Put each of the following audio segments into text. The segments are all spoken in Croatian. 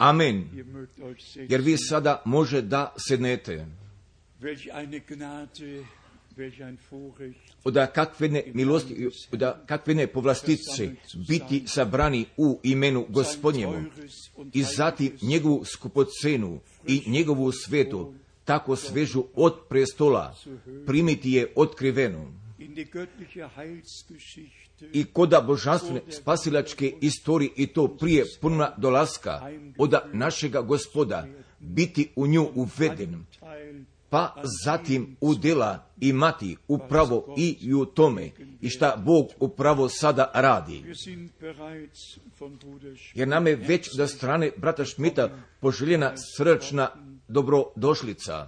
Amen. Jer vi sada može da sednete. Oda kakve ne milosti, oda kakve ne povlastice biti sabrani u imenu Gospodnjemu i zatim njegovu skupocenu i njegovu svetu tako svežu od prestola primiti je otkrivenu. I koda božanstvene spasilačke istorije i to prije punna dolaska oda našega Gospoda biti u nju uveden, pa zatim udjela imati upravo i u tome i šta Bog upravo sada radi. Jer nam je već da strane brata Šmita poželjena srdačna dobrodošlica.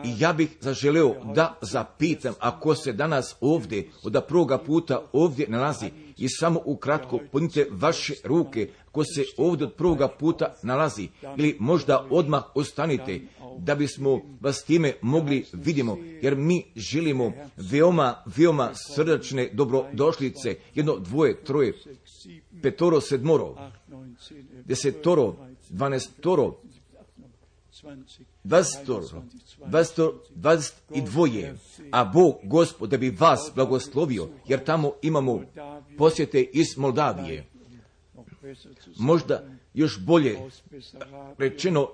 I ja bih zaželeo da zapitam, ako se danas ovdje, od prvoga puta ovdje nalazi, i samo ukratko podnite vaše ruke, ko se ovdje od prvoga puta nalazi, ili možda odmah ostanite, da bismo vas time mogli vidimo, jer mi želimo veoma srdačne dobrodošlice, 1, 2, 3, 5, 7, 10, 12, 22, a Bog Gospod da bi vas blagoslovio, jer tamo imamo posjete iz Moldavije, možda još bolje rečeno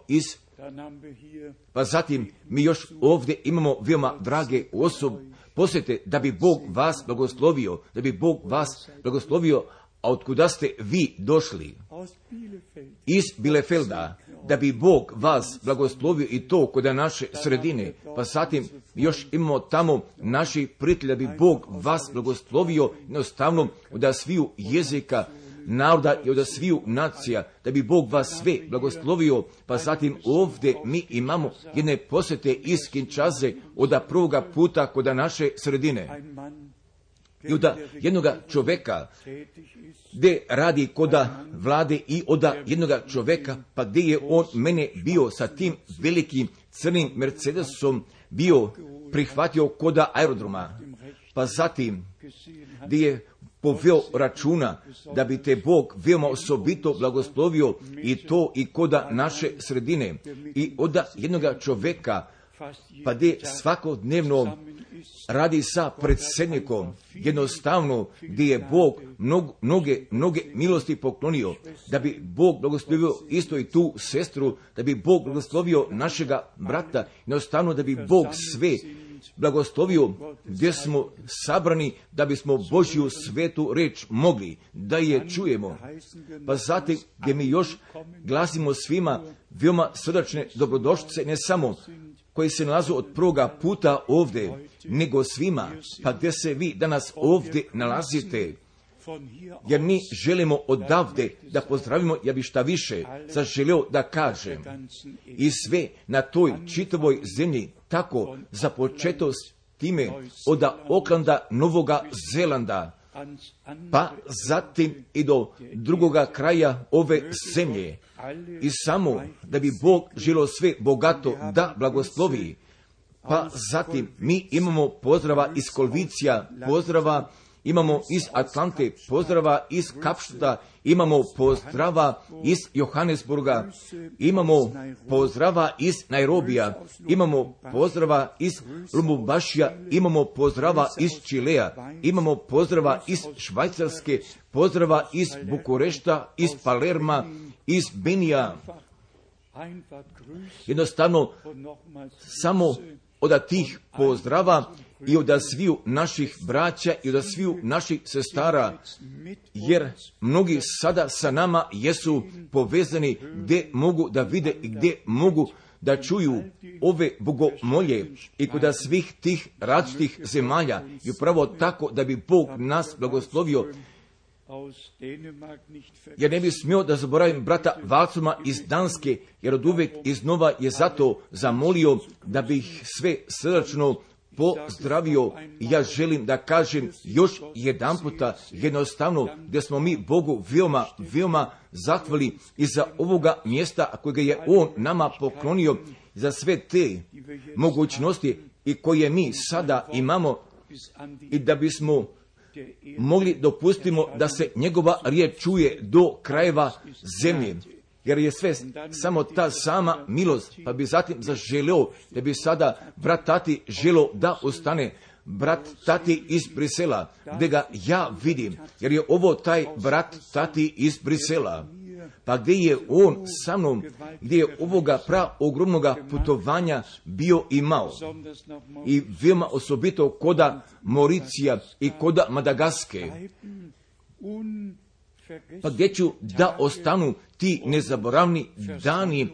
pa zatim mi još ovdje imamo veoma drage osobe posjete da bi Bog vas blagoslovio, a otkuda ste vi došli? Iz Bielefelda, da bi Bog vas blagoslovio i to kod naše sredine, pa zatim još imamo tamo naši prijatelji, da bi Bog vas blagoslovio jednostavno od sviju jezika, naroda i od sviju nacija, da bi Bog vas sve blagoslovio, pa zatim ovdje mi imamo jedne posjete iz Kinčaze od prvoga puta kod naše sredine. I od jednoga čovjeka gdje radi koda vlade i od jednoga čovjeka, pa gdje je on mene bio sa tim velikim crnim Mercedesom bio prihvatio koda aerodroma, pa zatim gdje je poveo računa da bi te Bog veoma osobito blagoslovio i to i koda naše sredine i od jednoga čovjeka, pa gdje svakodnevno radi sa predsjednikom, jednostavno gdje je Bog mnoge milosti poklonio, da bi Bog blagoslovio isto i tu sestru, da bi Bog blagoslovio našega brata, jednostavno da bi Bog sve blagoslovio gdje smo sabrani, da bismo Božju svetu reč mogli da je čujemo. Pa zatim gdje mi još glasimo svima veoma srdačne dobrodošlice, ne samo koji se nalazu od prvoga puta ovdje, nego svima, pa gdje se vi danas ovdje nalazite, jer mi želimo odavde da pozdravimo, ja bi šta više zaželio da kažem, i sve na toj čitavoj zemlji, tako započeto s time od Oklanda, Novoga Zelanda, pa zatim i do drugoga kraja ove zemlje. I samo da bi Bog želio sve bogato da blagoslovi. Pa zatim mi imamo pozdrava iz Kolvicija, pozdrava imamo iz Atlante, pozdrava iz Kapštuta, imamo pozdrava iz Johannesburga, imamo pozdrava iz Nairobija, imamo pozdrava iz Lubumbašija, imamo pozdrava iz Čilea, imamo pozdrava iz Švajcarske, pozdrava iz Bukurešta, iz Palerma, iz Benija. Jednostavno, samo od tih pozdrava i od sviju naših braća i od sviju naših sestara, jer mnogi sada sa nama jesu povezani gdje mogu da vide i gdje mogu da čuju ove bogomolje i kod svih tih različitih zemalja i upravo tako da bi Bog nas blagoslovio. Ja ne bih smio da zaboravim brata Valcuma iz Danske, jer od uvijek iznova je zato zamolio da bih sve srdačno pozdravio. Ja želim da kažem još jedan puta jednostavno gdje smo mi Bogu veoma zahvali i za ovoga mjesta kojega je On nama poklonio, za sve te mogućnosti i koje mi sada imamo i da bismo mogli dopustimo da se njegova riječ čuje do krajeva zemlje. jer je sve samo ta sama milost, pa bi zatim zaželio da bi sada brat Tati želio da ostane. Brat Tati iz Brisela, gdje ga ja vidim, jer je ovo taj brat Tati iz Brisela. Pa gdje je on sa mnom, gdje je ovoga ogromnoga putovanja bio imao. I veoma osobito koda Mauricija i koda Madagaske. Pa gdje ću da ostanu ti nezaboravni dani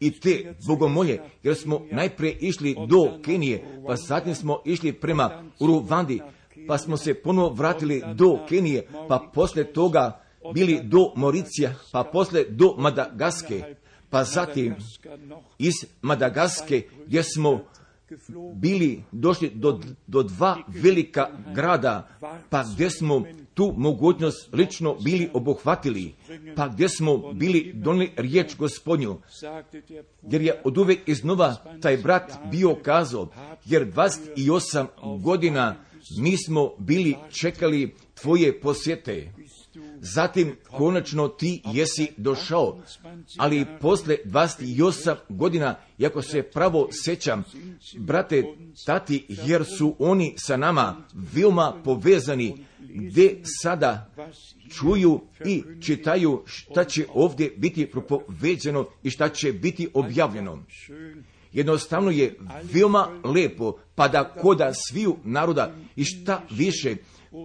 i te bogomolje, jer smo najprije išli do Kenije, pa zatim smo išli prema Uruvandi, pa smo se ponovo vratili do Kenije, pa poslije toga bili do Mauricija, pa poslije do Madagaske, pa zatim iz Madagaske gdje smo bili došli do dva velika grada, pa gdje smo tu mogućnost lično bili obuhvatili, pa gdje smo bili donijeli riječ Gospodnju, jer je oduvijek iznova taj brat bio kazao, jer 28 godina mi smo bili čekali tvoje posjete. Zatim konačno ti jesi došao, ali posle 28 godina, iako se pravo sjećam, brate Tati, jer su oni sa nama veoma povezani, gdje sada čuju i čitaju šta će ovdje biti propoveđeno i šta će biti objavljeno. Jednostavno je veoma lepo, pa da koda sviju naroda i šta više,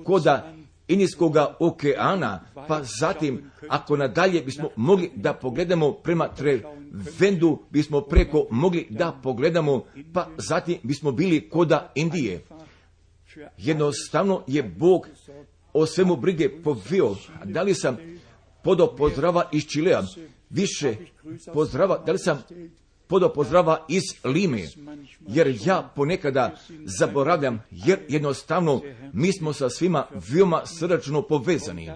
koda Indijskoga okeana, pa zatim, ako nadalje bismo mogli da pogledamo prema Trevendu, bismo preko mogli da pogledamo, pa zatim bismo bili koda Indije. Jednostavno je Bog o svemu brige poveo. Da li sam podao pozdrava iz Čilea, više pozdrava, da li sam podao pozdrava iz Lime, jer ja ponekada zaboravljam, jer jednostavno mi smo sa svima veoma srdačno povezani.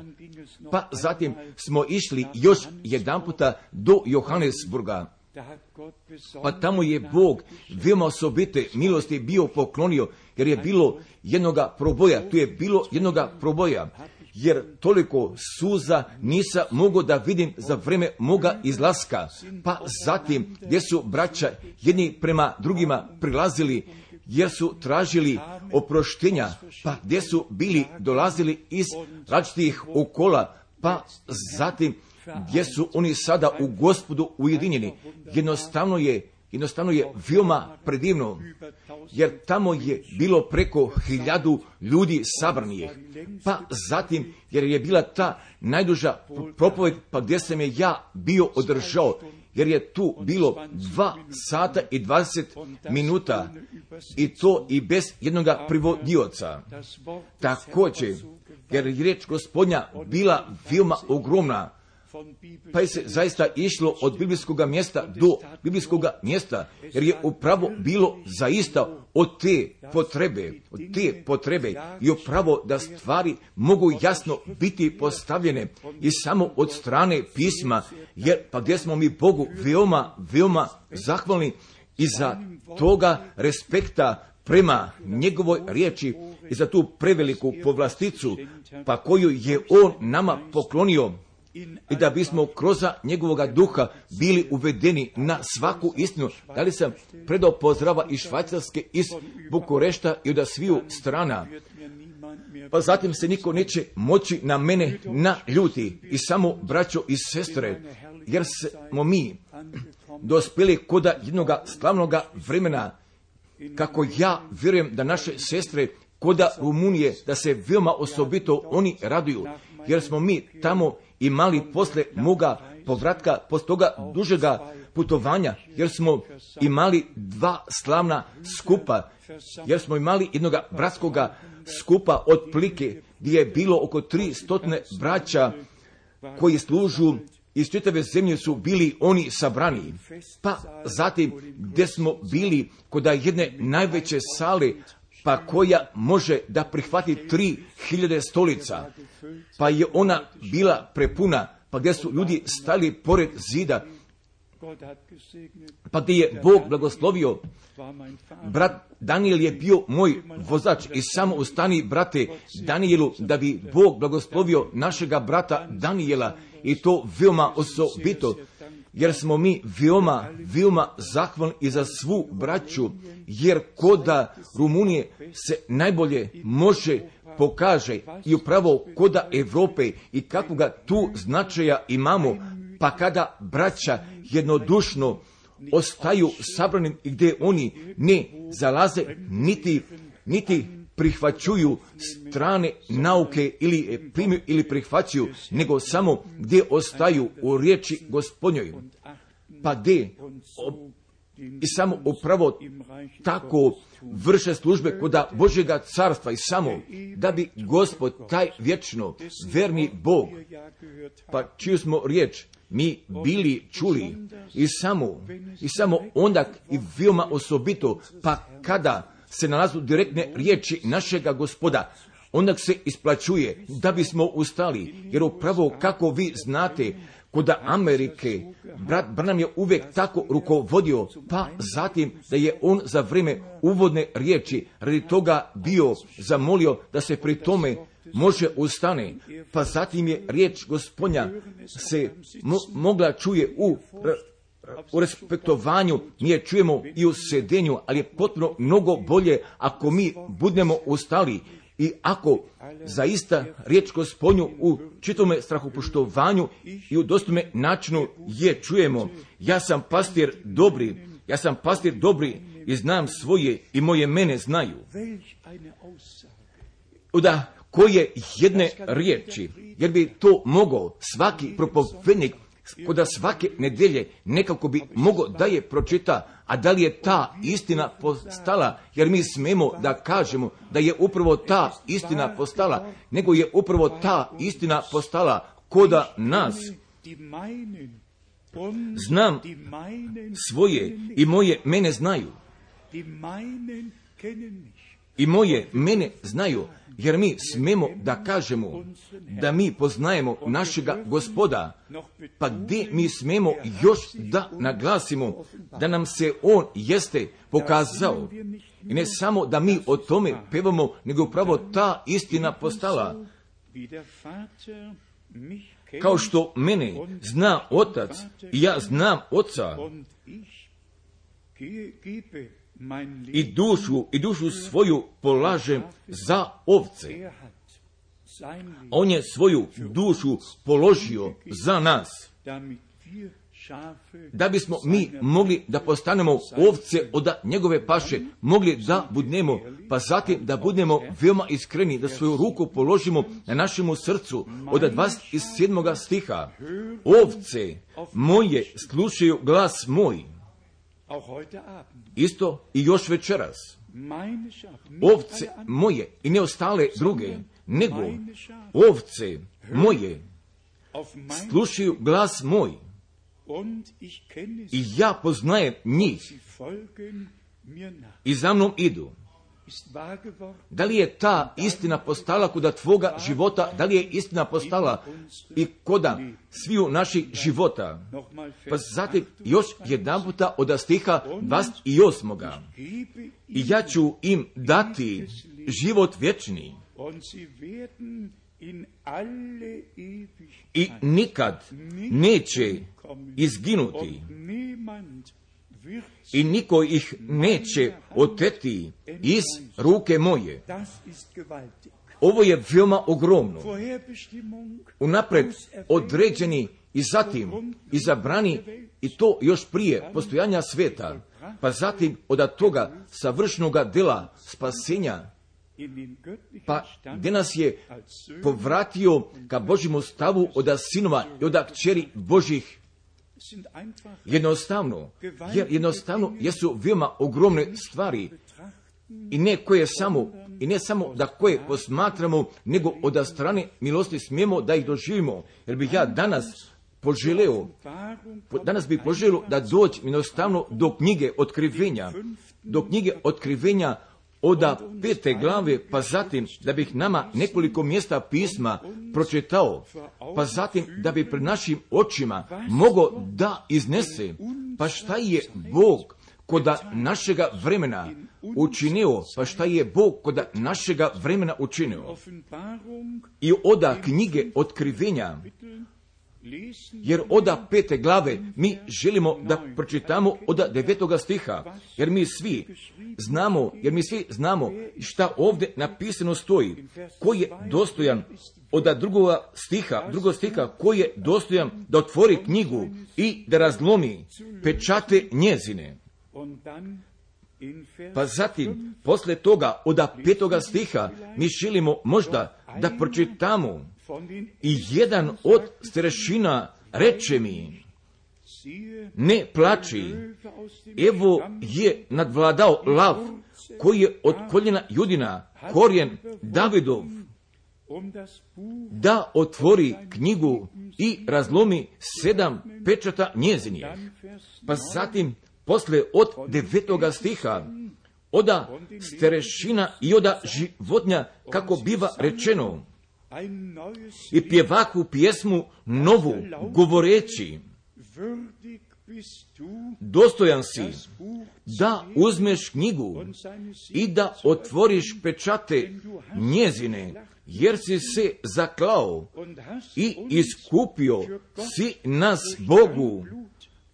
Pa zatim smo išli još jedanputa do Johannesburga, pa tamo je Bog veoma osobite milosti bio poklonio, jer je bilo jednoga proboja, tu je bilo jednoga proboja, jer toliko suza nisam mogao da vidim za vreme moga izlaska. Pa zatim gdje su braća jedni prema drugima prilazili, jer su tražili oproštenja, pa gdje su bili dolazili iz različitih okola, pa zatim gdje su oni sada u Gospodu ujedinjeni. Jednostavno je veoma predivno, jer tamo je bilo preko 1000 ljudi sabranih. Pa zatim, jer je bila ta najduža propoved, pa gdje sam je ja bio održao, jer je tu bilo 2 sata i 20 minuta, i to i bez jednoga privodioca. Također, jer je riječ Gospodnja bila veoma ogromna, pa je se zaista išlo od biblijskog mjesta do biblijskog mjesta, jer je upravo bilo zaista od te potrebe i upravo da stvari mogu jasno biti postavljene i samo od strane pisma, jer pa gdje smo mi Bogu veoma zahvalni i za toga respekta prema njegovoj riječi i za tu preveliku povlasticu, pa koju je on nama poklonio, i da bismo kroz njegovoga duha bili uvedeni na svaku istinu. Da li sam predao pozdrava iz Švajcarske, iz Bukurešta i od sviju strana, pa zatim se niko neće moći na mene naljuti, i samo braćo i sestre, jer smo mi dospjeli koda jednoga slavnoga vremena, kako ja vjerujem da naše sestre koda Rumunije, da se veoma osobito oni raduju, jer smo mi tamo imali posle moga povratka, posle toga dužega putovanja, jer smo imali 2 slavna skupa, jer smo imali jednoga bratskoga skupa otprilike, gdje je bilo oko 300 braća koji služu iz čitave zemlje su bili oni sabrani. Pa zatim gdje smo bili kod jedne najveće sale, pa koja može da prihvati 3000 stolica, pa je ona bila prepuna, pa gdje su ljudi stali pored zida, pa gdje je Bog blagoslovio. Brat Daniel je bio moj vozač i samo ustani, brate Danielu, da bi Bog blagoslovio našega brata Daniela, i to veoma osobito, jer smo mi veoma zahvalni i za svu braću, jer koda Rumunije se najbolje može pokaže i upravo koda Evrope i kakvoga tu značaja imamo, pa kada braća jednodušno ostaju sabranim i gdje oni ne zalaze niti prihvaćuju strane nauke ili primju ili prihvaćaju, nego samo gdje ostaju u riječi Gospodnjoj, pa gdje i samo upravo tako vrše službe koda Božjega carstva i samo da bi Gospod taj vječno verni Bog, pa čiju smo riječ mi bili čuli i samo onda i veoma osobito, pa kada se nalazu direktne riječi našega Gospoda, onda se isplaćuje da bismo ustali, jer upravo kako vi znate, koda Amerike, brat Branham je uvijek tako rukovodio, pa zatim da je on za vrijeme uvodne riječi radi toga bio zamolio da se pri tome može ustane, pa zatim je riječ Gospodnja se mogla čuje u respektovanju, mi je čujemo i u sedenju, ali je potpuno mnogo bolje ako mi budemo ustali i ako zaista riječ Gospodnju u čitome strahopoštovanju i u dostojnome načinu je čujemo. Ja sam pastir dobri i znam svoje i moje mene znaju. Da koje jedne riječi, jer bi to mogao svaki propovednik koda svake nedelje nekako bi mogao da je pročita, a da li je ta istina postala, jer mi smemo da kažemo da je upravo ta istina postala, nego je upravo ta istina postala koda nas. Znam svoje i moje mene znaju. I moje mene znaju, jer mi smemo da kažemo da mi poznajemo našega Gospoda, pa gdje mi smemo još da naglasimo da nam se On jeste pokazao. I ne samo da mi o tome pevamo, nego upravo ta istina postala. Kao što mene zna Otac i ja znam Oca, i dušu svoju polažem za ovce. On je svoju dušu položio za nas, da bismo mi mogli da postanemo ovce od njegove paše, mogli da budnemo, pa zatim da budemo veoma iskreni, da svoju ruku položimo na našemu srcu. Od 27. stiha, ovce moje slušaju glas moj. Isto i još večeras. Ovce moje i ne ostale druge, nego ovce moje slušaju glas moj i ja poznajem njih i za mnom idu. Da li je ta istina postala koda tvoga života, da li je istina postala i koda sviju naših života? Pa zatim još jedan puta od stiha 28. I ja ću im dati život vječni i nikad neće izginuti i niko ih neće oteti iz ruke moje. Ovo je veoma ogromno. Unapred određeni i zatim izabrani, i to još prije postojanja sveta, pa zatim od toga savršenoga dela spasenja, pa gdje nas je povratio ka Božjemu stavu od sinova i od kćeri Božjih. Jednostavno jesu veoma ogromne stvari i ne samo da koje posmatramo, nego od strane milosti smijemo da ih doživimo. Jer bih ja danas poželio da dođe jednostavno do knjige otkrivenja od 5. glave, pa zatim da bih nama nekoliko mjesta pisma pročitao, pa zatim da bi pred našim očima mogao da iznese Pa šta je Bog koda našega vremena učinio? Pa šta je Bog koda našega vremena učinio? I oda knjige Otkrivenja, jer oda 5. glave mi želimo da pročitamo oda 9. stiha, jer mi svi znamo šta ovdje napisano stoji, ko je dostojan oda drugog stiha, ko je dostojan da otvori knjigu i da razlomi pečate njezine. Pa zatim, posle toga, oda 5. stiha, mi želimo možda da pročitamo i jedan od starešina reče mi, ne plači, evo je nadvladao lav, koji je od koljena Judina, korijen Davidov, da otvori knjigu i razlomi 7 pečata njezinih. Pa zatim, posle od 9. stiha, oda starešina i oda životinja, kako biva rečeno, i pjevaku pjesmu novu, govoreći, dostojan si da uzmeš knjigu i da otvoriš pečate njezine, jer si se zaklao i iskupio si nas Bogu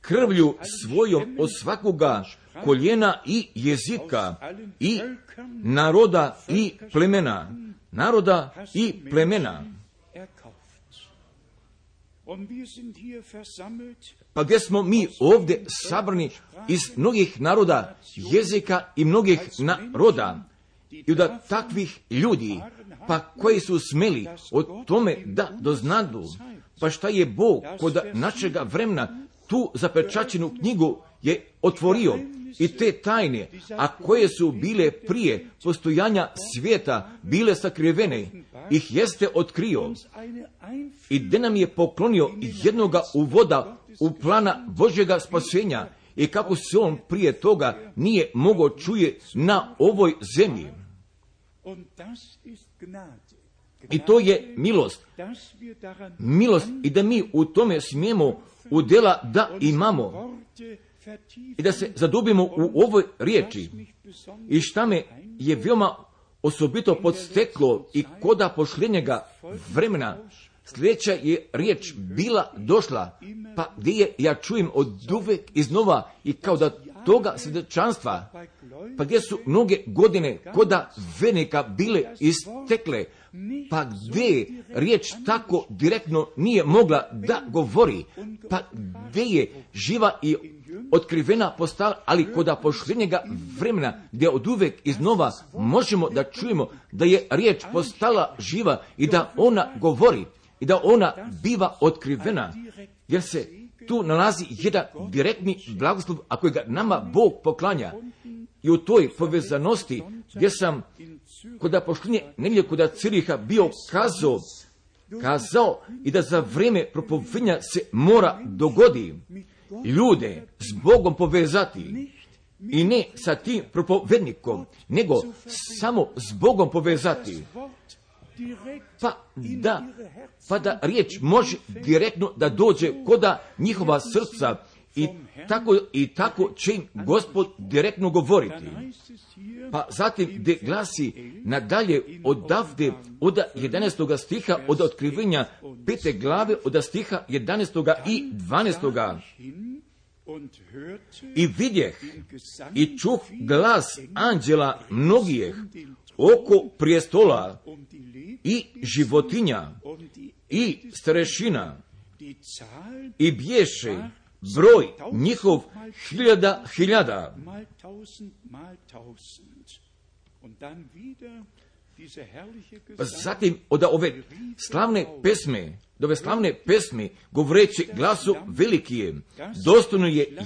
krvlju svojom od svakoga koljena i jezika i naroda i plemena. Pa gdje smo mi ovdje sabrani iz mnogih naroda, jezika i mnogih naroda, i da takvih ljudi, pa koji su smeli o tome da doznadu, pa šta je Bog kod našega vremena tu zapečaćenu knjigu je otvorio, i te tajne, a koje su bile prije postojanja svijeta, bile sakrivene, ih jeste otkrio i gdje nam je poklonio jednoga uvoda u plana Božjega spasenja i kako se on prije toga nije mogao čuje na ovoj zemlji. I to je milost i da mi u tome smijemo udjela da imamo i da se zadubimo u ovoj riječi. I šta me je veoma osobito podsteklo i koda pošljenjega vremena, sljedeća je riječ bila došla, pa gdje je ja čujem od uvek iznova i kao da toga svjedočanstva, pa gdje su mnoge godine koda vernika bile istekle, pa gdje riječ tako direktno nije mogla da govori, pa gdje je živa i otkrivena postala, ali koda pošljenjega vremena, gdje od uvek iznova možemo da čujemo da je riječ postala živa i da ona govori i da ona biva otkrivena, jer se tu nalazi jedan direktni blagoslov, a koji ga nama Bog poklanja. I u toj povezanosti gdje sam koda pošljenje negdje koda Ciriha bio kazao i da za vrijeme propovedanja se mora dogodi ljude s Bogom povezati i ne sa tim propovednikom, nego samo s Bogom povezati. Pa da riječ može direktno da dođe koda njihova srca i tako će im Gospod direktno govoriti. Pa zatim gdje glasi nadalje odavde od 11. stiha od otkrivenja 5. glave od stiha 11. i 12. I vidjeh i čuh glas anđela mnogih oko prijestola i životinja i starešina i bješe broj njihov 1000. Zatim od ove slavne pesme govoreći glasu veliki je, dostojno je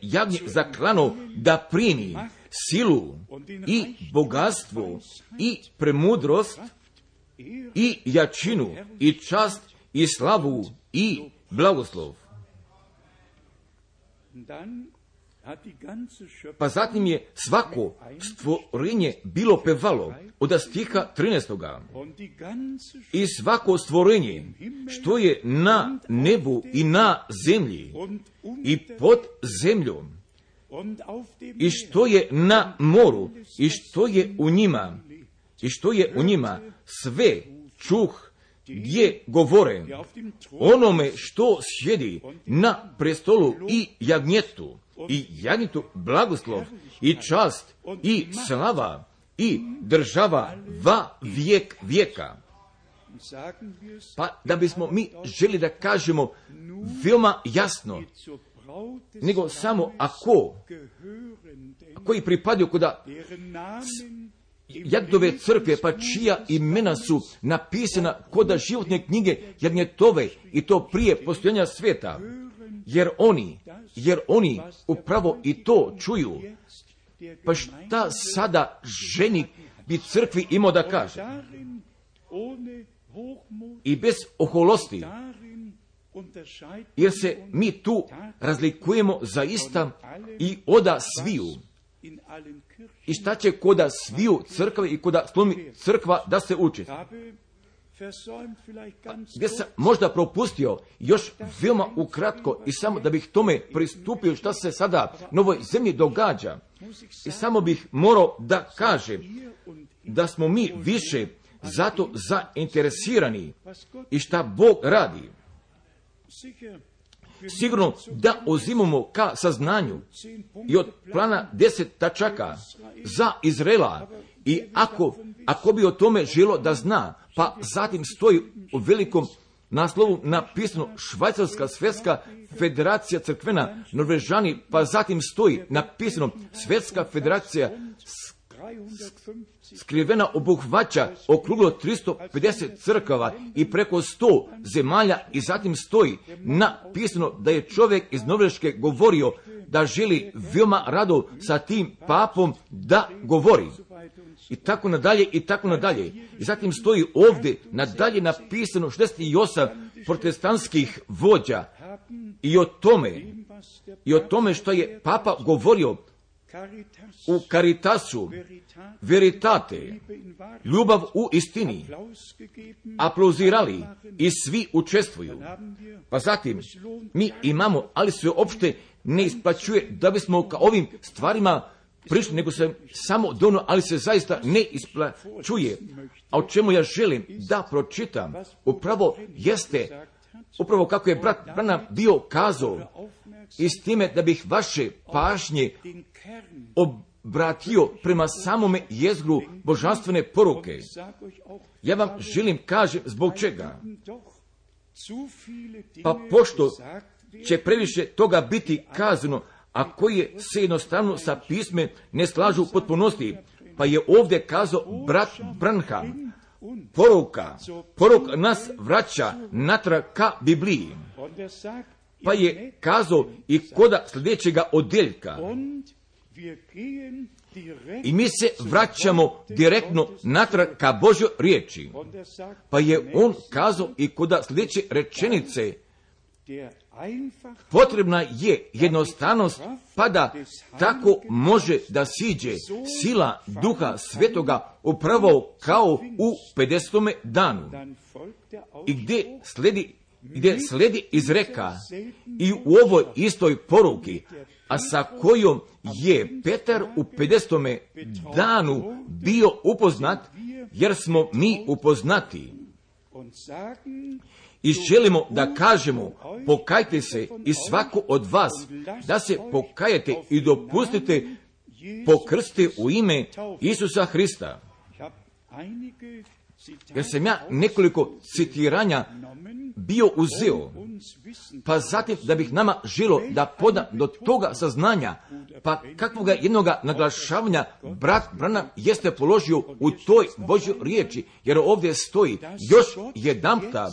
jagnje zaklano da primi silu i bogatstvo i premudrost i jačinu i čast i slavu i blagoslov. Pa zatim je svako stvorenje bilo pevalo od stiha 13. I svako stvorenje što je na nebu i na zemlji i pod zemljom i što je na moru i što je u njima sve čuh gdje govore onome što sjedi na prestolu i jagnjetu blagoslov i čast i slava i država va vijek vijeka. Pa da bismo mi želi da kažemo veoma jasno, nego samo koji pripadaju kuda Jagnjetove crkve, pa čija imena su napisana koda životne knjige Jagnjetove, i to prije postojanja svijeta, jer oni upravo i to čuju. Pa šta sada ženik bi crkvi imao da kaže? I bez oholosti, jer se mi tu razlikujemo zaista i oda sviju. I šta će koda sviju crkve i koda slomi crkva da se uči? Gdje sam možda propustio još veoma ukratko i samo da bih tome pristupio šta se sada na ovoj zemlji događa. I samo bih morao da kažem da smo mi više zato zainteresirani i šta Bog radi. Sigurno da uzimamo ka saznanju i od plana 10 tačaka za Izraela, i ako bi o tome želo da zna, pa zatim stoji u velikom naslovu napisano Švajcarska svjetska federacija crkvena Norvežani, pa zatim stoji napisano Svjetska federacija skrivena obuhvaća okruglo 350 crkava i preko 100 zemalja, i zatim stoji napisano da je čovjek iz Norveške govorio da želi veoma rado sa tim papom da govori. I tako nadalje, i tako nadalje. I zatim stoji ovdje nadalje napisano 68 protestantskih vođa i o tome što je papa govorio u Caritasu, veritate, ljubav u istini, aplauzirali i svi učestvuju. Pa zatim mi imamo, ali se uopšte ne isplaćuje da bismo ka ovim stvarima prišli, nego se samo dono, ali se zaista ne isplaćuje. A o čemu ja želim da pročitam, upravo kako je brat Branham bio kazao, i s time da bih vaše pažnje obratio prema samome jezgru božanstvene poruke. Ja vam želim kažem zbog čega. Pa pošto će previše toga biti kazano, a koje se jednostavno sa pisme ne slažu u potpunosti, pa je ovdje kazao brat Branham, poruka nas vraća natrag ka Bibliji. Pa je kazao i koda sljedećega odjeljka. I mi se vraćamo direktno natrag ka Božjoj riječi. Pa je on kazao i koda sljedeće rečenice, potrebna je jednostavnost, pa da tako može da siđe sila Duha Svetoga upravo kao u 50. danu. I gdje sledi izreka i u ovoj istoj poruki, a sa kojom je Petar u 50. danu bio upoznat, jer smo mi upoznati. I želimo da kažemo, pokajte se i svako od vas, da se pokajete i dopustite pokrstite u ime Isusa Hrista. Jer sam ja nekoliko citiranja bio uzeo, pa zatim da bih nama želo da poda do toga saznanja, pa kakvoga jednoga naglašavanja brat Branham jeste položio u toj Božjoj riječi, jer ovdje stoji još jedanputa,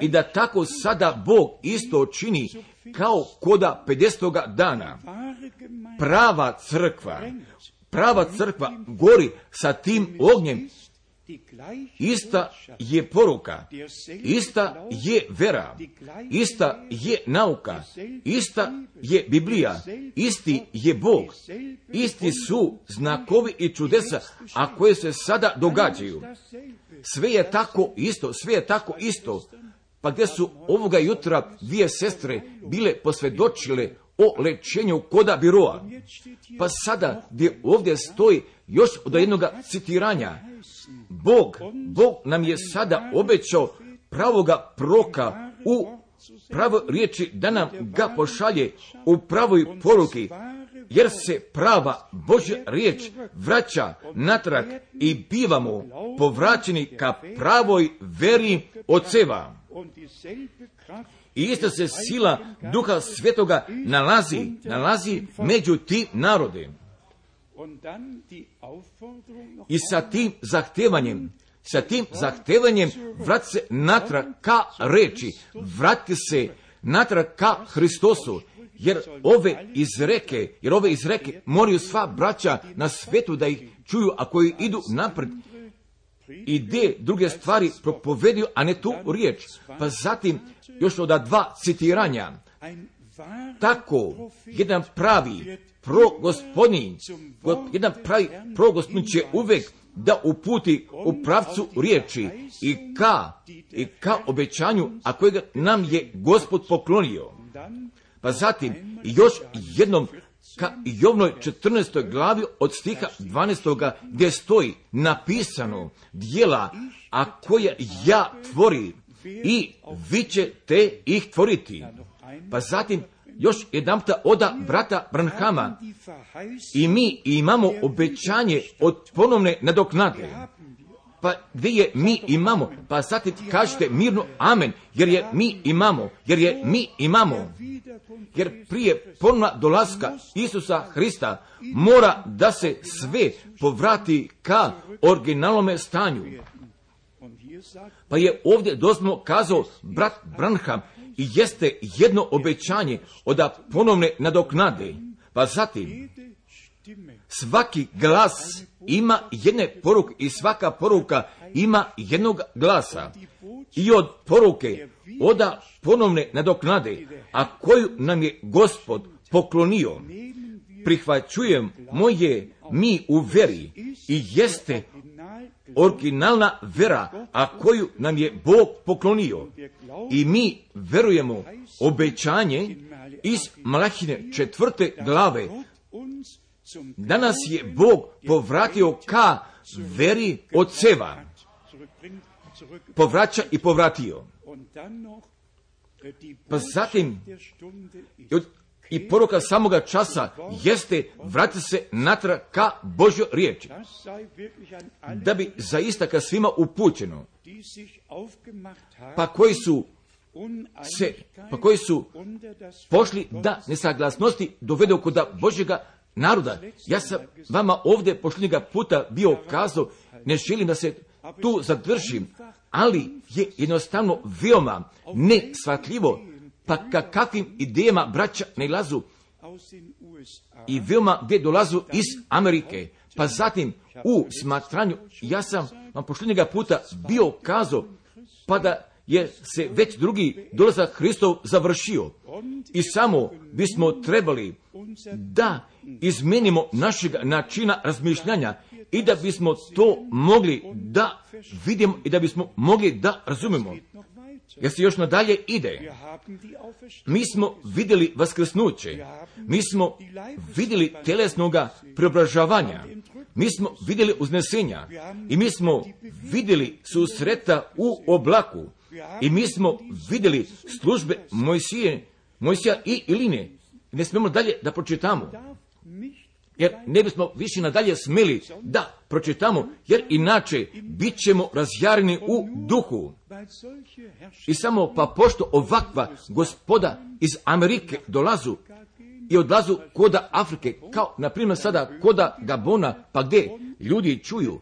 i da tako sada Bog isto čini kao koda 50. dana. Prava crkva gori sa tim ognjem ista je poruka, ista je vera, ista je nauka, ista je Biblija, isti je Bog, isti su znakovi i čudesa, a koje se sada događaju. Sve je tako isto, sve je tako isto. Pa gdje su ovoga jutra dvije sestre bile posvjedočile o lečenju koda biroa. Pa sada gdje ovdje stoji još od jednog citiranja. Bog nam je sada obećao pravoga proka u pravoj riječi da nam ga pošalje u pravoj poruki, jer se prava Božja riječ vraća natrag i bivamo povraćeni ka pravoj veri Oceva. I isto se sila Duha Svetoga nalazi među tim narode. I sa tim zahtevanjem vrati se natrag ka reči, vrati se natrag ka Hristosu, jer ove izreke moraju sva braća na svetu da ih čuju, a koji idu napred i de druge stvari propoveduju, a ne tu riječ. Pa zatim još od dva citiranja. Tako jedan pravi progospodin će uvek da uputi u pravcu riječi i ka obećanju, a kojega nam je Gospod poklonio. Pa zatim još jednom ka Jovnoj 14. glavi od stiha 12. gdje stoji napisano djela, a koje ja tvori i vi ćete ih tvoriti. Pa zatim još jedanputa oda brata Branhama i mi imamo obećanje od ponovne nadoknade. Pa gdje je mi imamo? Pa zatim kažete mirno amen, jer je mi imamo. Jer prije ponovna dolaska Isusa Hrista mora da se sve povrati ka originalnome stanju. Pa je ovdje doslovno kazao brat Branham i jeste jedno obećanje od ponovne nadoknade. Pa zatim svaki glas ima jedne poruke i svaka poruka ima jednog glasa. I od poruke od ponovne nadoknade, a koju nam je Gospod poklonio, prihvaćujemo je mi u veri i jeste originalna vera, a koju nam je Bog poklonio. I mi verujemo obećanje iz Malahine 4. glave. Danas je Bog povratio ka veri Oceva. Povraća i povratio. Pa zatim i poruka samoga časa jeste vrati se natrag ka Božjoj riječi. Da bi zaista ka svima upućeno. Pa koji su pošli da nesaglasnosti dovedu kod Božjega naroda. Ja sam vama ovdje pošljenjega puta bio kazao, ne želim da se tu zadržim, ali je jednostavno veoma neshvatljivo, pa kakvim idejama braća nailazu i veoma gdje dolazu iz Amerike. Pa zatim u smatranju, ja sam vam pošljenjega puta bio kazao, pa da je se već drugi dolazak Hristov završio. I samo bismo trebali da izmenimo našeg načina razmišljanja i da bismo to mogli da vidimo i da bismo mogli da razumemo. Jer se još nadalje ide. Mi smo vidjeli vaskrsnuće. Mi smo vidjeli telesnoga preobražavanja. Mi smo vidjeli uznesenja. I mi smo vidjeli susreta u oblaku. I mi smo vidjeli službe Mojsija i Iline. Ne smemo dalje da pročitamo. Jer ne bismo više nadalje smeli da pročitamo, jer inače bit ćemo razjareni u duhu. I samo pa pošto ovakva gospoda iz Amerike dolazu i odlazu koda Afrike, kao na primjer sada koda Gabona, pa gdje ljudi čuju,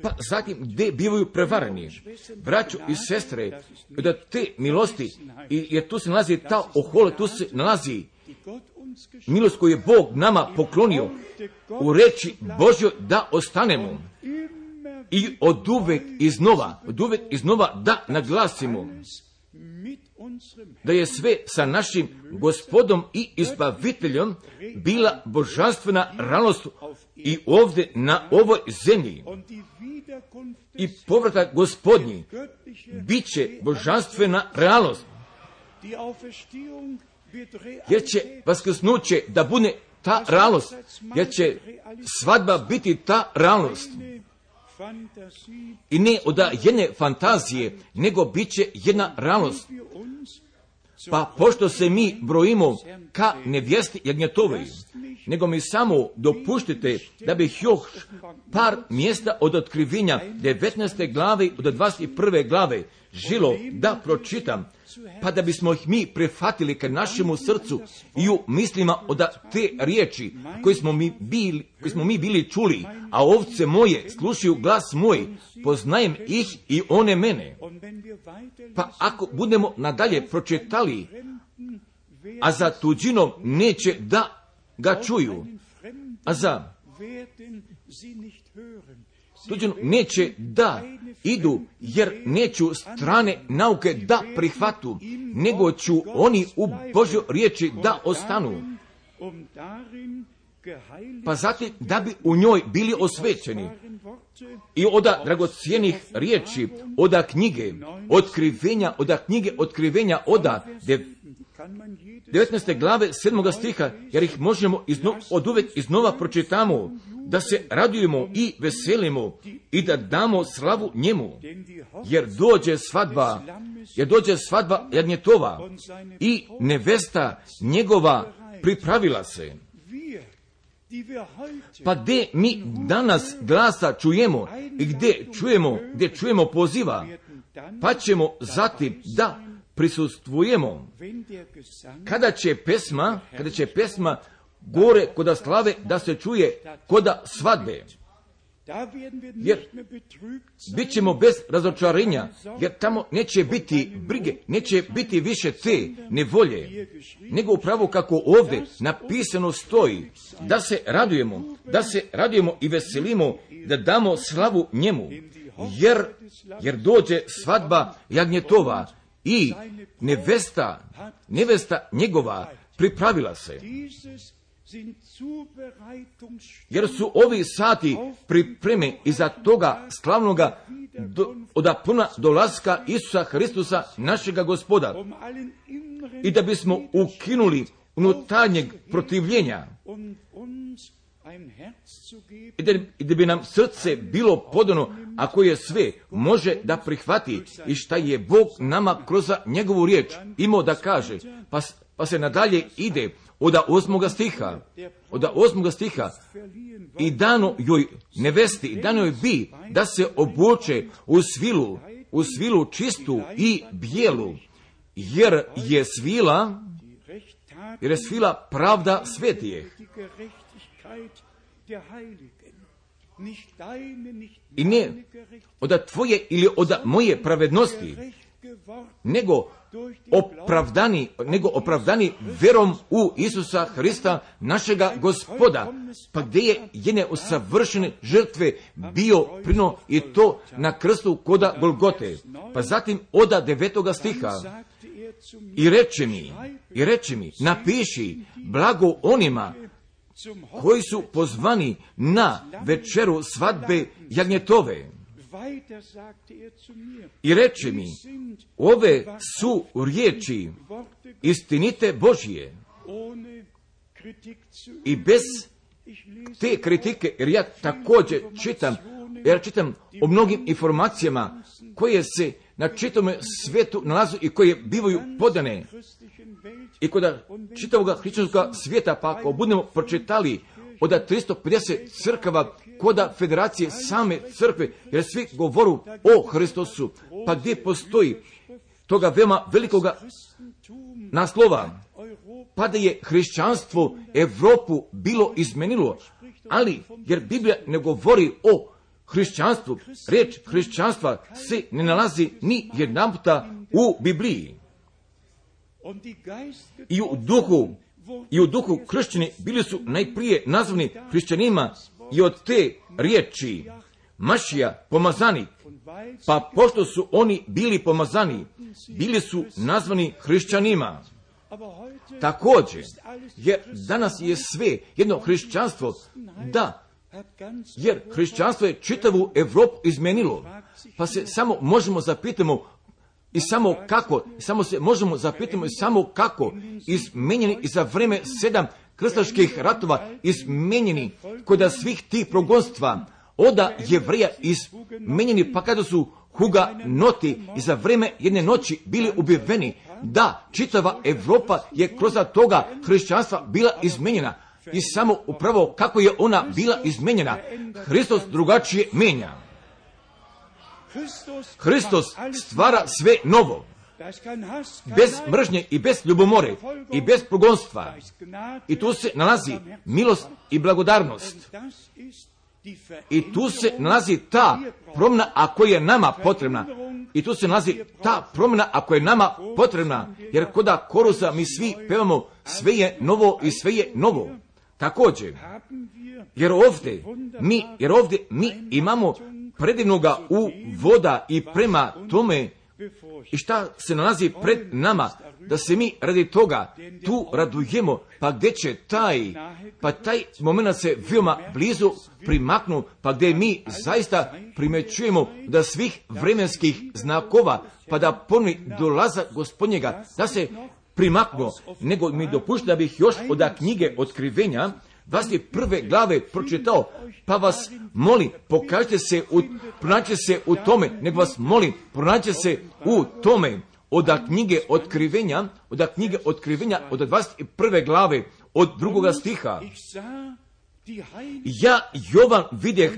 pa zatim gdje bivaju prevareni. Braćo i sestre, da te milosti, jer tu se nalazi ta ohole, tu se nalazi milost koju je Bog nama poklonio u reči Božjoj da ostanemo. i od uvek iznova da naglasimo da je sve sa našim Gospodom i Izbaviteljom bila božanstvena realnost i ovdje na ovoj zemlji. I povratak Gospodnji bit će božanstvena realnost, jer će vaskrsnuće da bude ta realnost, jer će svadba biti ta realnost. I ne od jedne fantazije, nego bit će jedna realnost. Pa pošto se mi brojimo ka nevjesti jagnjetovoj, nego mi samo dopuštite da bih još par mjesta od otkrivenja 19. glave od 21. glave žilo da pročitam, pa da bismo ih mi prihvatili ka našemu srcu i u mislima od te riječi koje smo mi bili čuli, a ovce moje slušaju glas moj, poznajem ih i one mene. Pa ako budemo nadalje pročitali, a za tuđinom neće da ga čuju, a za tuđinom neće da idu, jer neću strane nauke da prihvatu, nego ću oni u Božjoj riječi da ostanu. Pa zatim da bi u njoj bili osvećeni i od dragocijenih riječi, od knjige otkrivenja, od 19. glave 7. stiha, jer ih možemo od uvek iznova pročitamo, da se radujemo i veselimo i da damo slavu njemu, jer dođe svadba jagnjetova i nevesta njegova pripravila se. Pa gdje mi danas glasa čujemo i gdje čujemo poziva, pa ćemo zatim da prisustvujemo. Kada će pesma gore koda slave da se čuje koda svadbe, jer bit ćemo bez razočarenja, jer tamo neće biti brige, neće biti više te nevolje, nego upravo kako ovdje napisano stoji, da se radujemo i veselimo, da damo slavu njemu, jer dođe svadba jagnjetova i nevesta njegova pripravila se. Jer su ovi sati pripreme iza toga slavnoga od puna dolaska Isusa Hristusa, našega Gospoda, i da bismo ukinuli unutarnjeg protivljenja i da bi nam srce bilo podano, ako je sve može da prihvati i šta je Bog nama kroz njegovu riječ imao da kaže. Pa se nadalje ide od 8. stiha i dano joj nevesti, i dano joj bi da se obuče u svilu čistu i bijelu, jer je svila pravda svetijeh. I ne od tvoje ili od moje pravednosti, nego opravdani verom u Isusa Hrista, našega Gospoda, pa gdje je jedne usavršene žrtve bio prino i to na krstu koda Golgote. Pa zatim od 9. stiha i reče mi, napiši blago onima koji su pozvani na večeru svadbe jagnjetove. I reče mi, ove su riječi istinite Božje. I bez te kritike, jer ja također čitam o mnogim informacijama koje se na čitavom svijetu nalazu i koje bivaju podane. I kod čitavog hrišćanskog svijeta, pa ako budemo pročitali od 350 crkava koda federacije same crkve, jer svi govoru o Hristosu, pa gdje postoji toga veoma velikoga naslova, pa da je hrišćanstvo Evropu bilo izmenilo, ali jer Biblija ne govori o hrišćanstvu, riječ hrišćanstva se ne nalazi ni jedanputa u Bibliji. I u duhu kršćani bili su najprije nazvani hrišćanima i od te riječi Mašija pomazanik, pa pošto su oni bili pomazani, bili su nazvani hrišćanima. Također, jer danas je sve jedno hrišćanstvo, da, jer hrišćanstvo je čitavu Europu izmenilo, pa se samo možemo zapitamo i samo kako, samo se možemo zapitamo i samo kako, izmenjeni i za vreme 7 krstaških ratova, izmenjeni kod svih tih progonstva, oda Jevreja izmenjeni, pa kada su huganoti i za vreme jedne noći bili ubijeni, da, čitava Europa je kroz toga hrišćanstva bila izmenjena. I samo upravo kako je ona bila izmenjena, Hristos drugačije menja. Hristos stvara sve novo, bez mržnje i bez ljubomore i bez progonstva. I tu se nalazi milost i blagodarnost. I tu se nalazi ta promjena ako je nama potrebna. I tu se nalazi ta promjena ako je nama potrebna. Jer koda korusa mi svi pevamo sve je novo i sve je novo. Također, jer ovdje mi imamo predivnoga uvoda i prema tome i šta se nalazi pred nama, da se mi radi toga tu radujemo, pa gdje će taj moment se veoma blizu primaknu, pa gdje mi zaista primećujemo da svih vremenskih znakova, pa da ponovi dolaza Gospodnjega, da se primaknu, nego mi dopušta da bih još od knjige Otkrivenja 21. glave pročitao, pa vas molim, pronađite se u tome, nego vas molim, pronađite se u tome, od knjige Otkrivenja, od 21. glave, od 2. stiha. Ja Jovan videh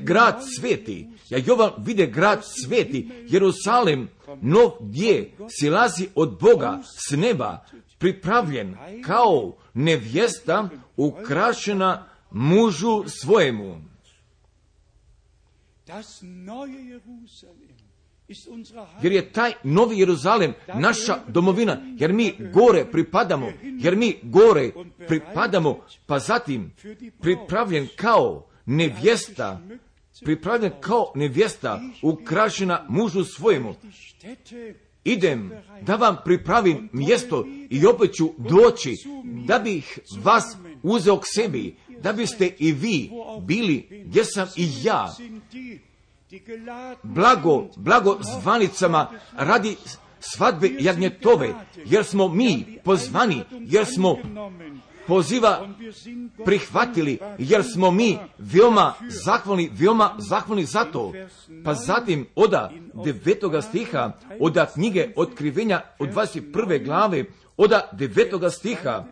grad sveti, Jerusalem, nov gdje silazi od Boga s neba, pripravljen kao nevjesta ukrašena mužu svojemu. Jer je taj novi Jeruzalem naša domovina, jer mi gore pripadamo, pa zatim pripravljen kao nevjesta ukrašena mužu svojemu. Idem da vam pripravim mjesto i opet ću doći da bih vas uzeo k sebi, da biste i vi bili gdje sam i ja. Blago zvanicama radi svadbe jagnjetove, jer smo mi pozvani, jer smo poziva prihvatili, jer smo mi veoma zahvalni za to. Pa zatim od 9. stiha, od knjige Otkrivenja, od 21. glave, od 9. stiha,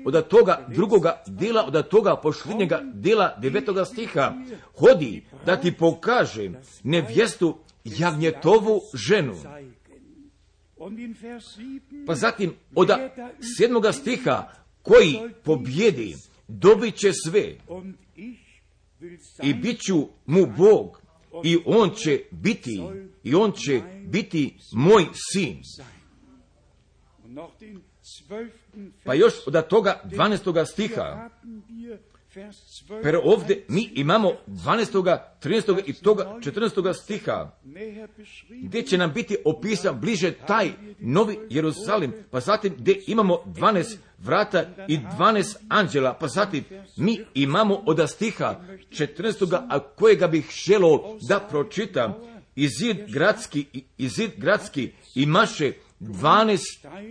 od toga drugoga dela, od toga posljednjega dela 9. stiha, hodi da ti pokaže nevjestu jagnjetovu ženu. Pa zatim od 7. stiha, koji pobjedi, dobit će sve i bit ću mu Bog i on će biti moj sin. Pa još od toga 12. stiha, pero ovdje mi imamo 12., 13. i toga 14. stiha, gdje će nam biti opisan bliže taj novi Jerusalim, pa zatim gdje imamo 12 vrata i 12 anđela, pa zatim mi imamo od stiha 14. a kojega bih želio da pročitam, i zid gradski imaše 12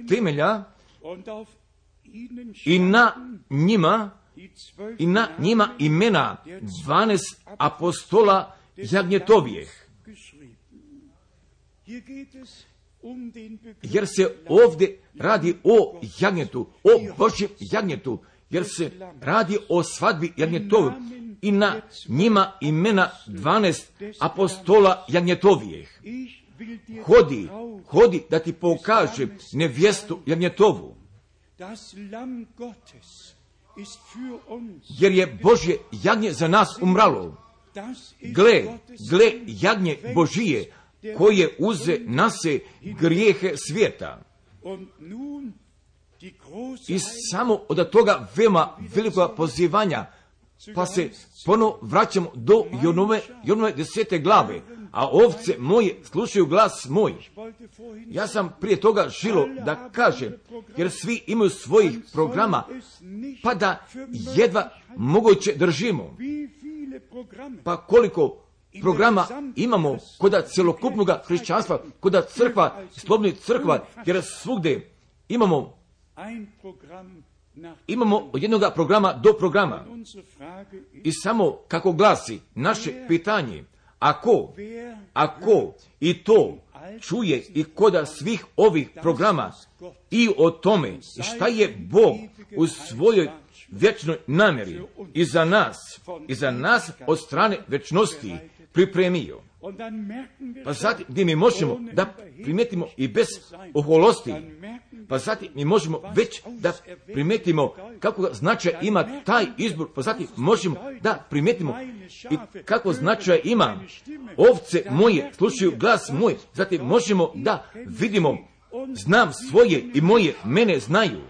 temelja i na njima imena 12 apostola jagnjetovijeh. Jer se ovdje radi o jagnjetu, o Božjem jagnjetu, jer se radi o svadbi jagnjetovih i na njima imena 12 apostola jagnjetovijeh. Hodi da ti pokaže nevjestu jagnjetovu. Jer je Božje jagnje za nas umralo. Gle jagnje Božije koje uze na se grijehe svijeta. I samo od toga veoma velikog pozivanja pa se ponovo vraćamo do Jonove 10. glave, a ovce moje slušaju glas moj. Ja sam prije toga želio da kažem, jer svi imaju svojih programa, pa da jedva moguće držimo. Pa koliko programa imamo kod cjelokupnog hrišćanstva, kod crkva, slobodnih crkva, jer svugdje imamo od jednog programa do programa. I samo kako glasi naše pitanje, ako i to čuje i kod svih ovih programa i o tome šta je Bog u svojoj vječnoj namjeri i za nas od strane večnosti pripremio. Pa zatim gdje mi možemo da primijetimo i bez oholosti, pa zatim mi možemo već da primijetimo kako značaj ima taj izbor, pa zatim možemo da primijetimo i kako značaj ima ovce moje slušaju glas moj, zatim možemo da vidimo znam svoje i moje mene znaju.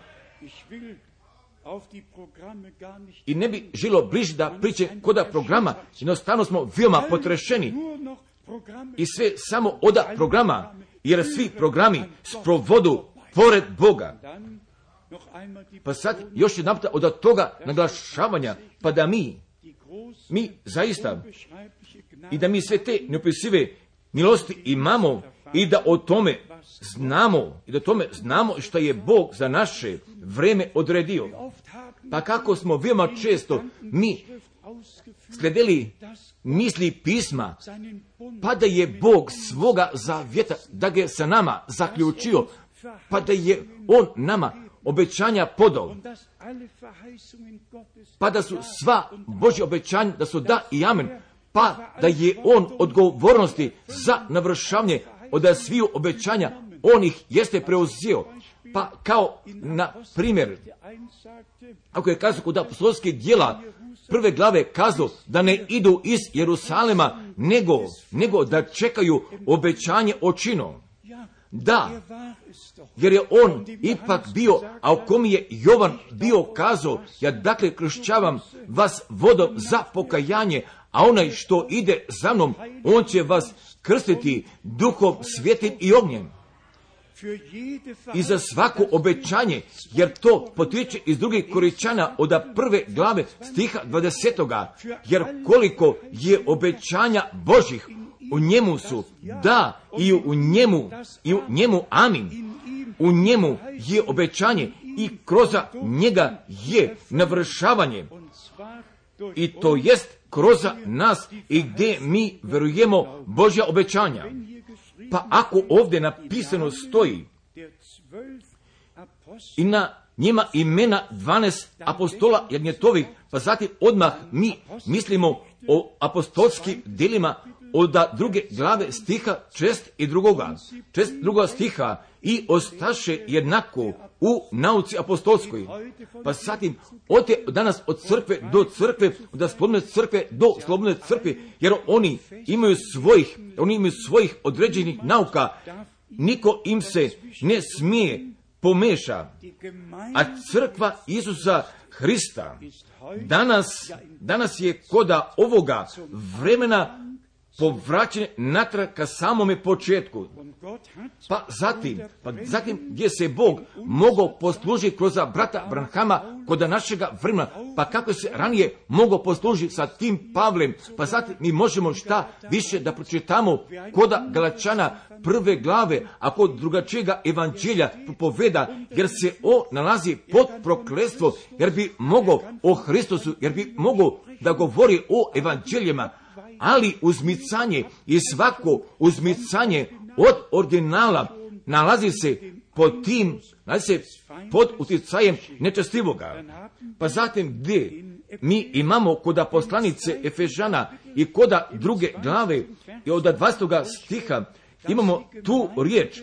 I ne bi želo bliže da priče koda programa, jednostavno smo veoma potrešeni i sve samo od programa, jer svi programi sprovodu pored Boga. Pa sad još jedan puta od toga naglašavanja, pa da mi zaista i da mi sve te neopisive milosti imamo i da o tome znamo što je Bog za naše vreme odredio. Pa kako smo veoma često mi sledili misli pisma, pa da je Bog svoga zavjeta, da ga je sa nama zaključio, pa da je On nama obećanja podao, pa da su sva Božja obećanja, da su da i amen, pa da je On odgovornosti za navršavanje od sviju obećanja, On ih jeste preuzeo. Pa kao na primjer, ako je kazao kod apostolskih djela prve glave kazao da ne idu iz Jerusalema, nego da čekaju obećanje očino. Da, jer je on ipak bio, a o kom je Jovan bio kazao, ja dakle kršćavam vas vodom za pokajanje, a onaj što ide za mnom, on će vas krstiti duhom svjetim i ognjem. I za svako obećanje, jer to potiče iz drugih Korinčana od prve glave stiha 20. Jer koliko je obećanja Božih, u njemu su da i u njemu amin. U njemu je obećanje i kroz njega je navršavanje. I to jest kroz nas i gdje mi verujemo Božja obećanja. Pa ako ovdje napisano stoji i na njima imena 12 apostola jagnjetovih, pa zatim odmah mi mislimo o apostolskim djelima od druge glave stiha 62. stiha i ostaše jednako u nauci apostolskoj. Pa zatim danas od crkve do crkve, od slobodne crkve do slobodne crkve, jer oni imaju svojih određenih nauka, niko im se ne smije pomeša. A crkva Isusa Hrista danas je koda ovoga vremena povraćen natrag ka samome početku. Pa zatim gdje se Bog mogao poslužiti kroz brata Branhama kod našega vremena, pa kako se ranije mogao poslužiti sa tim Pavlem, pa zatim mi možemo šta više da pročitamo kod Galačana prve glave, a kod drugačijega evanđelja propoveda, jer se nalazi pod prokletstvo, jer bi mogao o Hristusu, jer bi mogao da govori o evanđeljima, ali uzmicanje i svako uzmicanje od originala nalazi se pod utjecajem nečestivoga. Pa zatim gdje mi imamo kod poslanice Efežana i kod druge glave i od 20. stiha imamo tu riječ,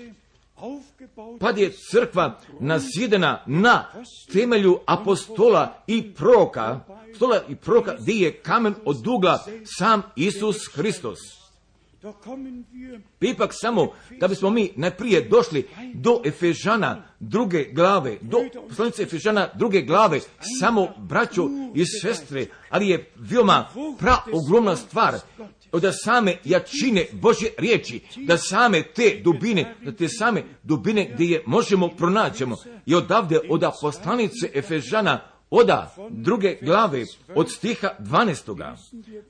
pa je crkva nazidana na temelju apostola i proroka, gdje je kamen od ugla sam Isus Hristos. Ipak samo da bismo mi najprije došli do Efežana 2. glave, do poslanice Efežana 2. glave, samo braćo i sestre, ali je veoma praogromna stvar od same jačine Božje riječi, da same te dubine gdje je možemo pronaćemo. I odavde od poslanice Efežana od 2. glave od stiha 12.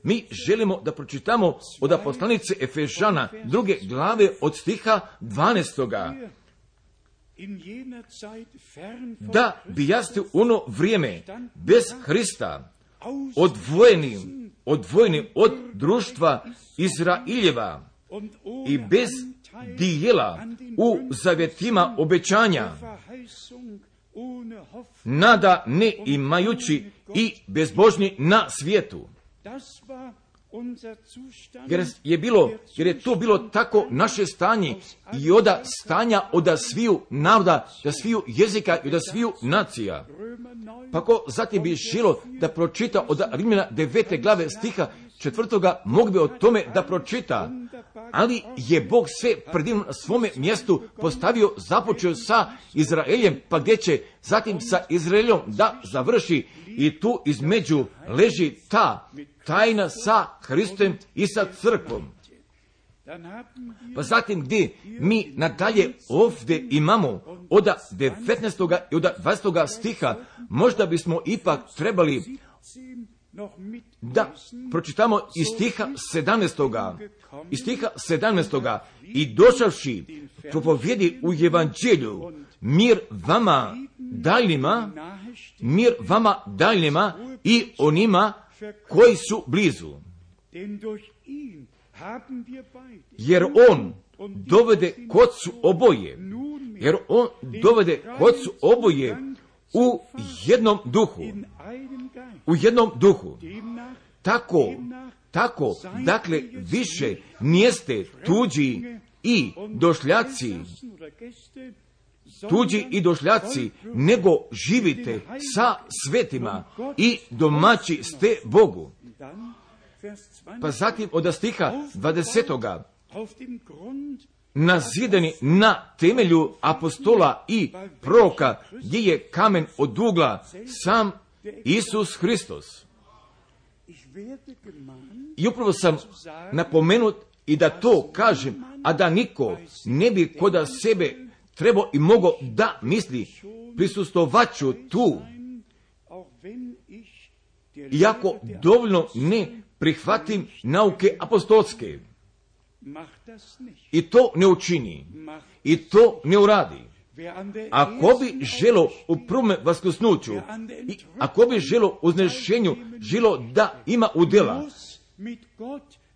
Mi želimo da pročitamo od poslanice Efežana 2. glave od stiha 12. Da bi jeste ono vrijeme bez Hrista odvojeni od društva Izraeljeva i bez dijela u zavjetima obećanja, nada ne imajući i bezbožni na svijetu. Jer je to bilo tako naše stanje i od stanja od sviju naroda, da sviju jezika i od sviju nacija. Pa ko zatim bi želo da pročita od Rimljana 9. glave stiha 4. mogu bi o tome da pročita, ali je Bog sve predivno na svome mjestu postavio, započeo sa Izraeljem, pa gdje će zatim sa Izraeljom da završi, i tu između leži ta tajna sa Hristom i sa crkvom. Pa zatim gdje mi nadalje ovdje imamo od 19. i od 20. stiha, možda bismo ipak trebali da pročitamo iz stiha 17. Iz stiha 17. I došavši propovjedi u evanđelju, mir vama daljnjima i onima koji su blizu. Jer on dovede kocu oboje u jednom duhu. Tako, dakle, više nijeste tuđi i došljaci, nego živite sa svetima i domaći ste Bogu. Pa zatim od stiha 20. nazidani na temelju apostola i proroka, gdje je kamen od ugla sam Isus Hristos. I upravo sam napomenut i da to kažem, a da niko ne bi kod sebe trebao i mogao da misli, prisustvovaću tu, iako dovoljno ne prihvatim nauke apostolske. I to ne učini. I to ne uradi. Ako bi želo u prvome vaskrsnuću, i ako bi želo uznešenju, želo da ima udjela,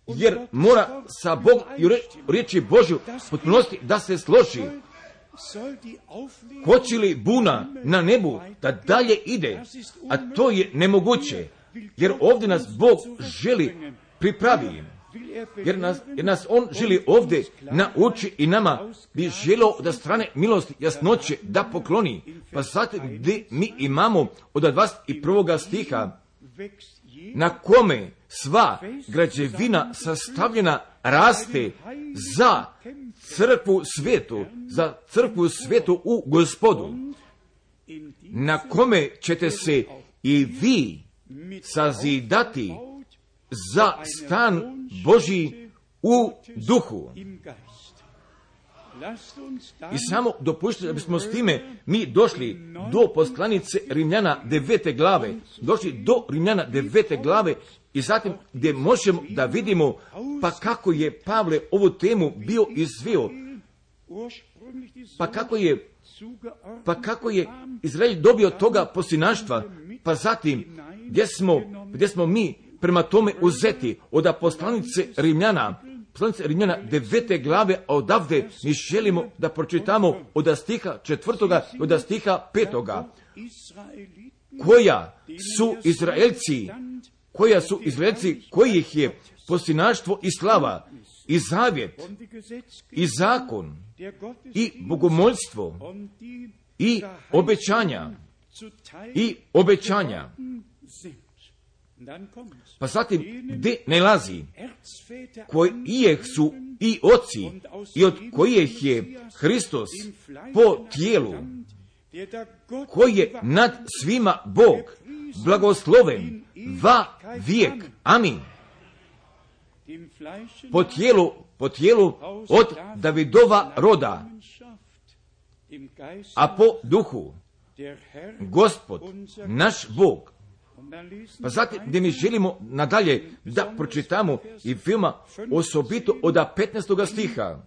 jer mora sa Bog i riječi Božju potpunosti da se složi. Hoće li buna na nebu da dalje ide, a to je nemoguće, jer ovdje nas Bog želi pripravi, jer nas On želi ovdje nauči i nama bi želio da strane milosti jasnoće da pokloni. Pa zatim gdje mi imamo od 21. stiha, na kome sva građevina sastavljena raste za crkvu svetu u Gospodu, na kome ćete se i vi sazidati za stan Božji u duhu. I samo dopuštite da bismo s time mi došli do poslanice Rimljana 9. glave, došli do Rimljana 9. glave i zatim gdje možemo da vidimo pa kako je Pavle ovu temu bio izveo, pa kako je Izrael dobio toga posljednaštva, pa zatim gdje smo mi prema tome uzeti od poslanice Rimljana 9. glave, a odavde mi želimo da pročitamo od stiha 4. i od stiha 5. Koja su Izraelci, kojih je posljednaštvo i slava, i zavjet, i zakon, i bogomoljstvo, i obećanja. Pa zatim, gdje nalazi, kojih su i oci, i od kojih je Hristos po tijelu, koji je nad svima Bog, blagosloven va vijek. Amin. Po tijelu od Davidova roda, a po duhu Gospod, naš Bog. Pa zatim, gdje mi želimo nadalje da pročitamo i filma osobito od 15. stiha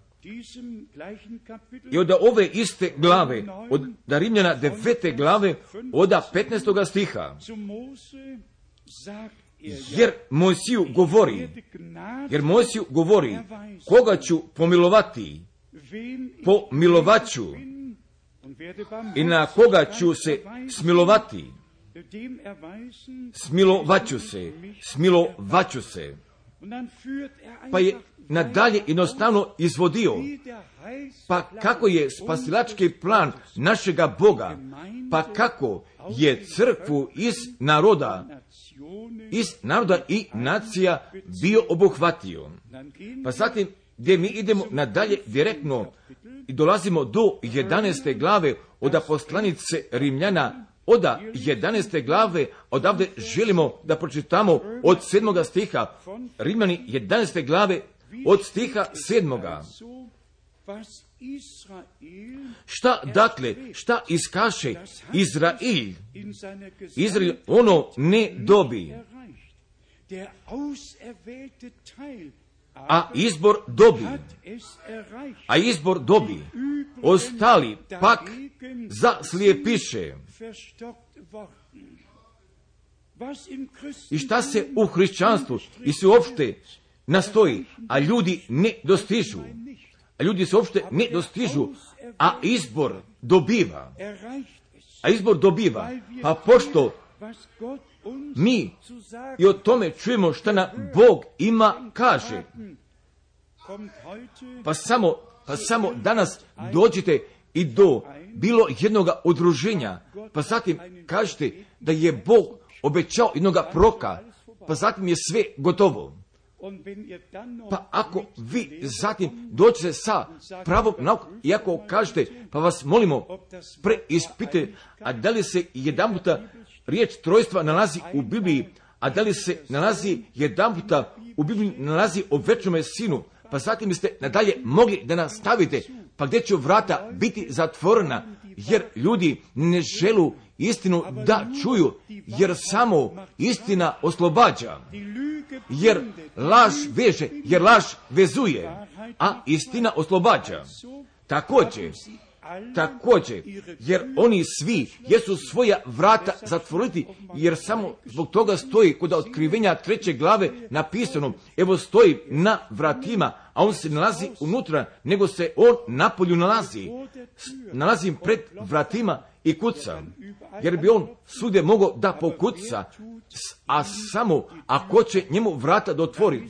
i od ove iste glave, od Rimljana 9. glave, od 15. stiha. Jer Mojsiju govori, koga ću pomilovati, pomilovaću, i na koga ću se smilovati, smilovaću se. Pa je nadalje jednostavno izvodio, pa kako je spasilački plan našega Boga, pa kako je crkvu iz naroda i nacija bio obuhvatio. Pa zatim, gdje mi idemo nadalje direktno i dolazimo do 11. glave od poslanice Rimljana, od 11. glave, odavde želimo da pročitamo od 7. stiha, Rimljani 11. glave, od stiha 7. Šta iskaše Izrael ono ne dobi, a izbor dobi, ostali pak zaslijepiše. I šta se u hrišćanstvu i se uopšte nastoji, a ljudi ne dostižu. A izbor dobiva. Pa pošto mi i o tome čujemo šta nam Bog ima kaže, pa samo danas dođite i do bilo jednoga udruženja, pa zatim kažete da je Bog obećao jednoga proroka, pa zatim je sve gotovo. Pa ako vi zatim dođete sa pravom naukom, i ako kažete, pa vas molimo, preispite, a da li se jedanputa riječ trojstva nalazi u Bibliji, a da li se nalazi jedanputa u Bibliji nalazi o večnome sinu, pa zatim biste nadalje mogli da nastavite, pa gdje će vrata biti zatvorena, jer ljudi ne želu istinu da čuju, jer samo istina oslobađa, jer laž veže, jer laž vezuje, a istina oslobađa. Također, jer oni svi jesu svoja vrata zatvoriti, jer samo zbog toga stoji kod otkrivenja 3. glave napisano, evo stoji na vratima, a on se nalazi unutra, nego se on napolju nalazi pred vratima i kuca, jer bi on svugdje mogao da pokuca, a samo ako će njemu vrata da otvori.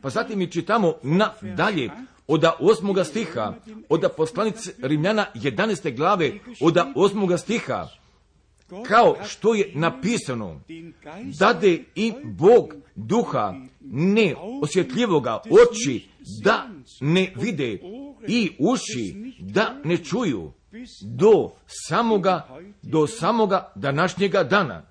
Pa zatim mi čitamo nadalje od 8. stiha, od poslanice Rimljana 11. glave, od 8. stiha, kao što je napisano, dade i Bog duha neosjetljivoga, oči da ne vide i uši da ne čuju, do samoga današnjega dana.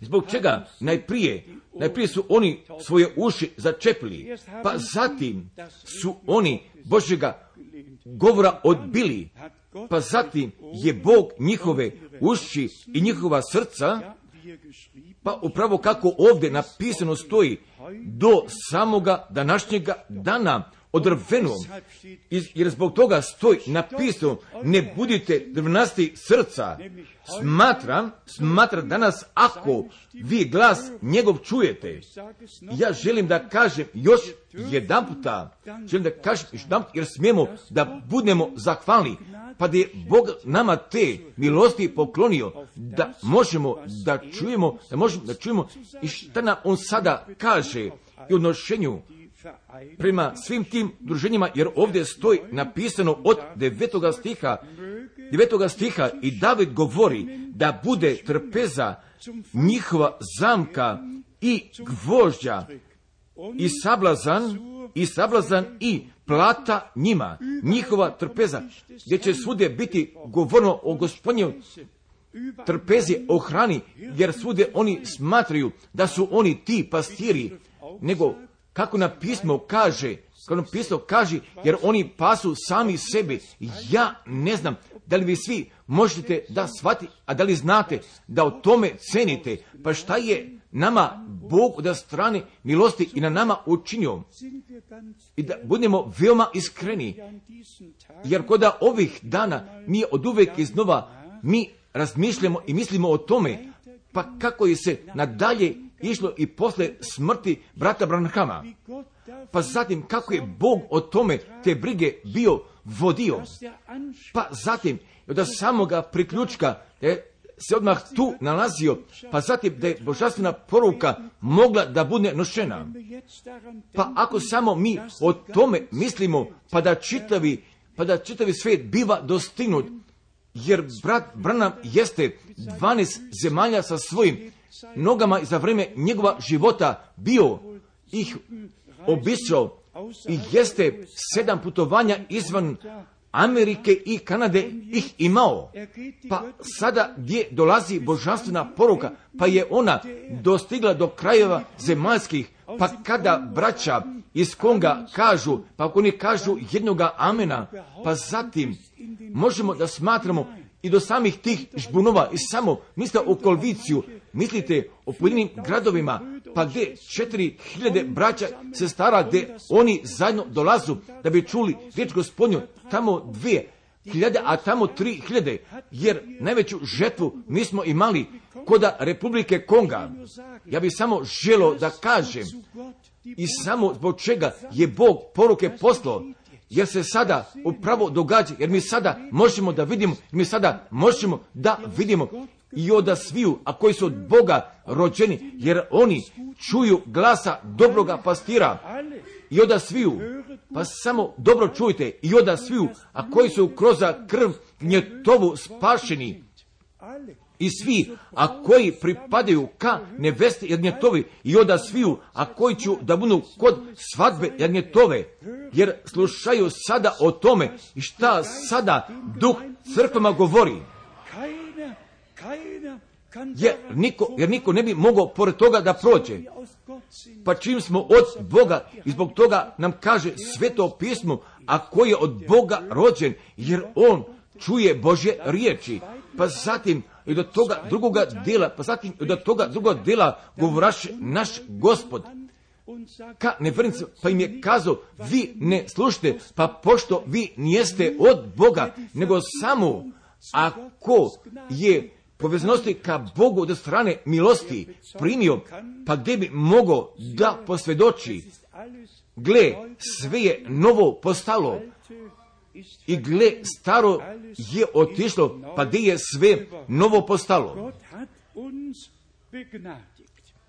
Zbog čega najprije su oni svoje uši začepili, pa zatim su oni Božjega govora odbili, pa zatim je Bog njihove uši i njihova srca, pa upravo kako ovdje napisano stoji, do samoga današnjega dana odrveno, jer zbog toga stoji napisano, ne budite drvnasti srca. Smatra danas, ako vi glas njegov čujete, ja želim da kažem još jedanputa, jer smijemo da budemo zahvalni, pa da je Bog nama te milosti poklonio, da možemo da čujemo i šta nam on sada kaže i u odnošenju prema svim tim druženjima, jer ovdje stoji napisano od 9. stiha, 9. stiha i David govori da bude trpeza njihova zamka i gvožđa i sablazan i plata njima, njihova trpeza, gdje će svugdje biti govorno o Gospodnju trpezi, o hrani, jer svugdje oni smatraju da su oni ti pastiri, nego kako na pismo kaže, jer oni pasu sami sebi. Ja ne znam da li vi svi možete da shvatite, a da li znate da o tome cenite, pa šta je nama Bog od strane milosti i na nama učinio. I da budemo veoma iskreni, jer kod ovih dana mi od uvek iznova mi razmišljamo i mislimo o tome, pa kako je se nadalje išlo i posle smrti brata Branhama. Pa zatim kako je Bog o tome te brige bio vodio. Pa zatim od samoga priključka se odmah tu nalazio, pa zatim da je božanstvena poruka mogla da bude nošena. Pa ako samo mi o tome mislimo, pa da čitavi svijet biva dostignut, jer brat Branham jeste 12 zemalja sa svojim nogama za vrijeme njegova života bio ih obišao i jeste 7 putovanja izvan Amerike i Kanade ih imao. Pa sada gdje dolazi božanstvena poruka, pa je ona dostigla do krajeva zemaljskih, pa kada braća iz Konga kažu, pa ako oni kažu jednoga amena, pa zatim možemo da smatramo i do samih tih žbunova i samo misle o Kolviciju, mislite o pojedinim gradovima, pa gdje 4000 braća sestara, gdje oni zajedno dolazu da bi čuli riječ Gospodnju, tamo 2000, a tamo 3000, jer najveću žetvu mi smo imali kod Republike Konga. Ja bih samo želio da kažem i samo zbog čega je Bog poruke poslao, jer se sada upravo događa, jer mi sada možemo da vidimo, i od sviju, a koji su od Boga rođeni, jer oni čuju glasa dobroga pastira. I od sviju, pa samo dobro čujte, i od sviju, a koji su kroz krv gnjetovu spašeni. I svi, a koji pripadaju ka nevesti jagnjetovi, i od sviju, a koji ću da budu kod svadbe jagnjetove, jer slušaju sada o tome i šta sada duh crkvama govori. Jer niko ne bi mogao pored toga da prođe. Pa čim smo od Boga, i zbog toga nam kaže Sveto pismo, a koji je od Boga rođen, jer on čuje Božje riječi. Pa zatim i do toga drugoga dela govoraše naš Gospod ka nevjernicima, pa im je kazao, vi ne slušate, pa pošto vi nijeste od Boga, nego samo ako je povezanosti ka Bogu od strane milosti primio, pa gdje bi mogao da posvjedoči, gle, sve je novo postalo, i gle, staro je otišlo, pa gdje je sve novo postalo.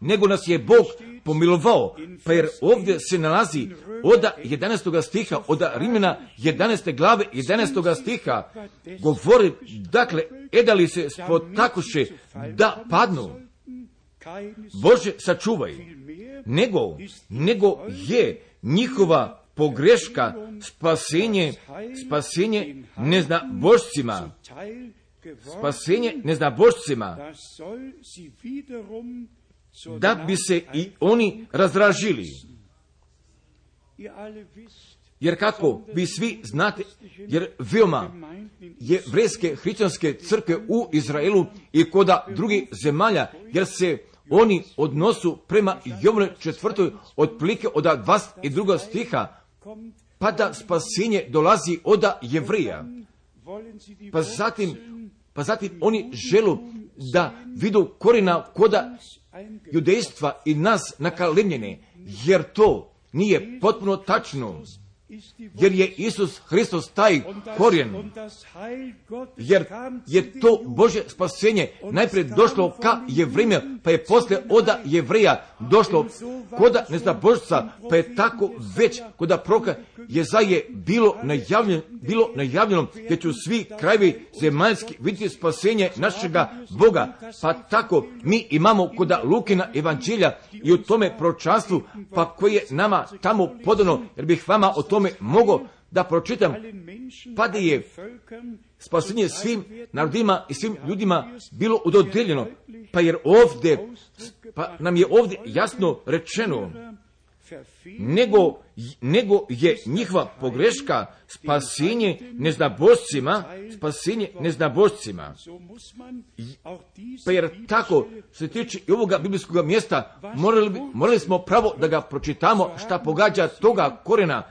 Nego nas je Bog pomilovao, pa jer ovdje se nalazi od 11. stiha, od Rimljana 11. glave 11. stiha, govori, dakle, da li se spotakuše da padnu, Bože sačuvaj, nego je njihova pogreška spasenje neznabošcima, da bi se i oni razdražili. Jer kako vi svi znate, jer veoma jevrejske hrišćanske crkve u Izraelu i kod drugih zemalja, jer se oni odnosu prema Jovanu 4. otprilike od 22. stiha, pa da spasenje dolazi od Jevrija. Pa zatim oni želu da vidu korina koda judejstva i nas nakalemljene, jer to nije potpuno tačno, jer je Isus Hristos taj korijen, jer je to Božje spasenje najprije došlo ka Jevrejima, pa je poslije oda Jevreja došlo koda neznabožca, pa je tako već koda proroka Jezaje bilo najavljeno gdje će svi krajevi zemaljski vidjeti spasenje našega Boga, pa tako mi imamo koda Lukina evanđelja i u tome proročanstvu, pa koje je nama tamo podano, jer bih vama o tome mogao da pročitam, pa da je spasenje svim narodima i svim ljudima bilo udodeljeno, pa nam je ovdje jasno rečeno, nego je njihova pogreška spasenje neznabožcima. Pa jer tako se tiče i ovoga biblijskog mjesta, morali smo pravo da ga pročitamo šta pogađa toga korena,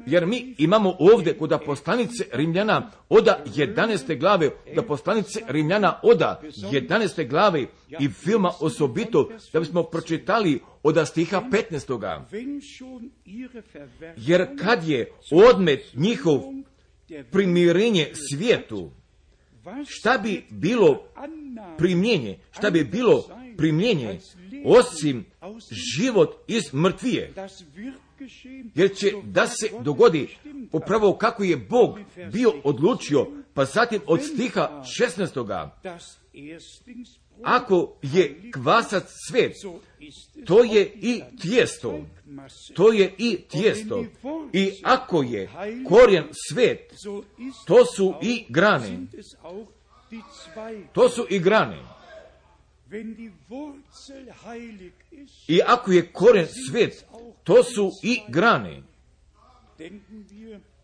jer mi imamo ovdje kod poslanice Rimljana oda 11. glave, da poslanice Rimljana oda 11. glave i filma osobito, da bismo pročitali od stiha 15. Jer kad je odmet njihov primirenje svijetu, šta bi bilo primljenje osim život iz mrtvije? Jer će da se dogodi upravo kako je Bog bio odlučio, pa zatim od stiha 16. Ako je kvasac svet, to je i tijesto. I ako je korijen svet, to su i grane. I ako je korijen svet, to su i grane.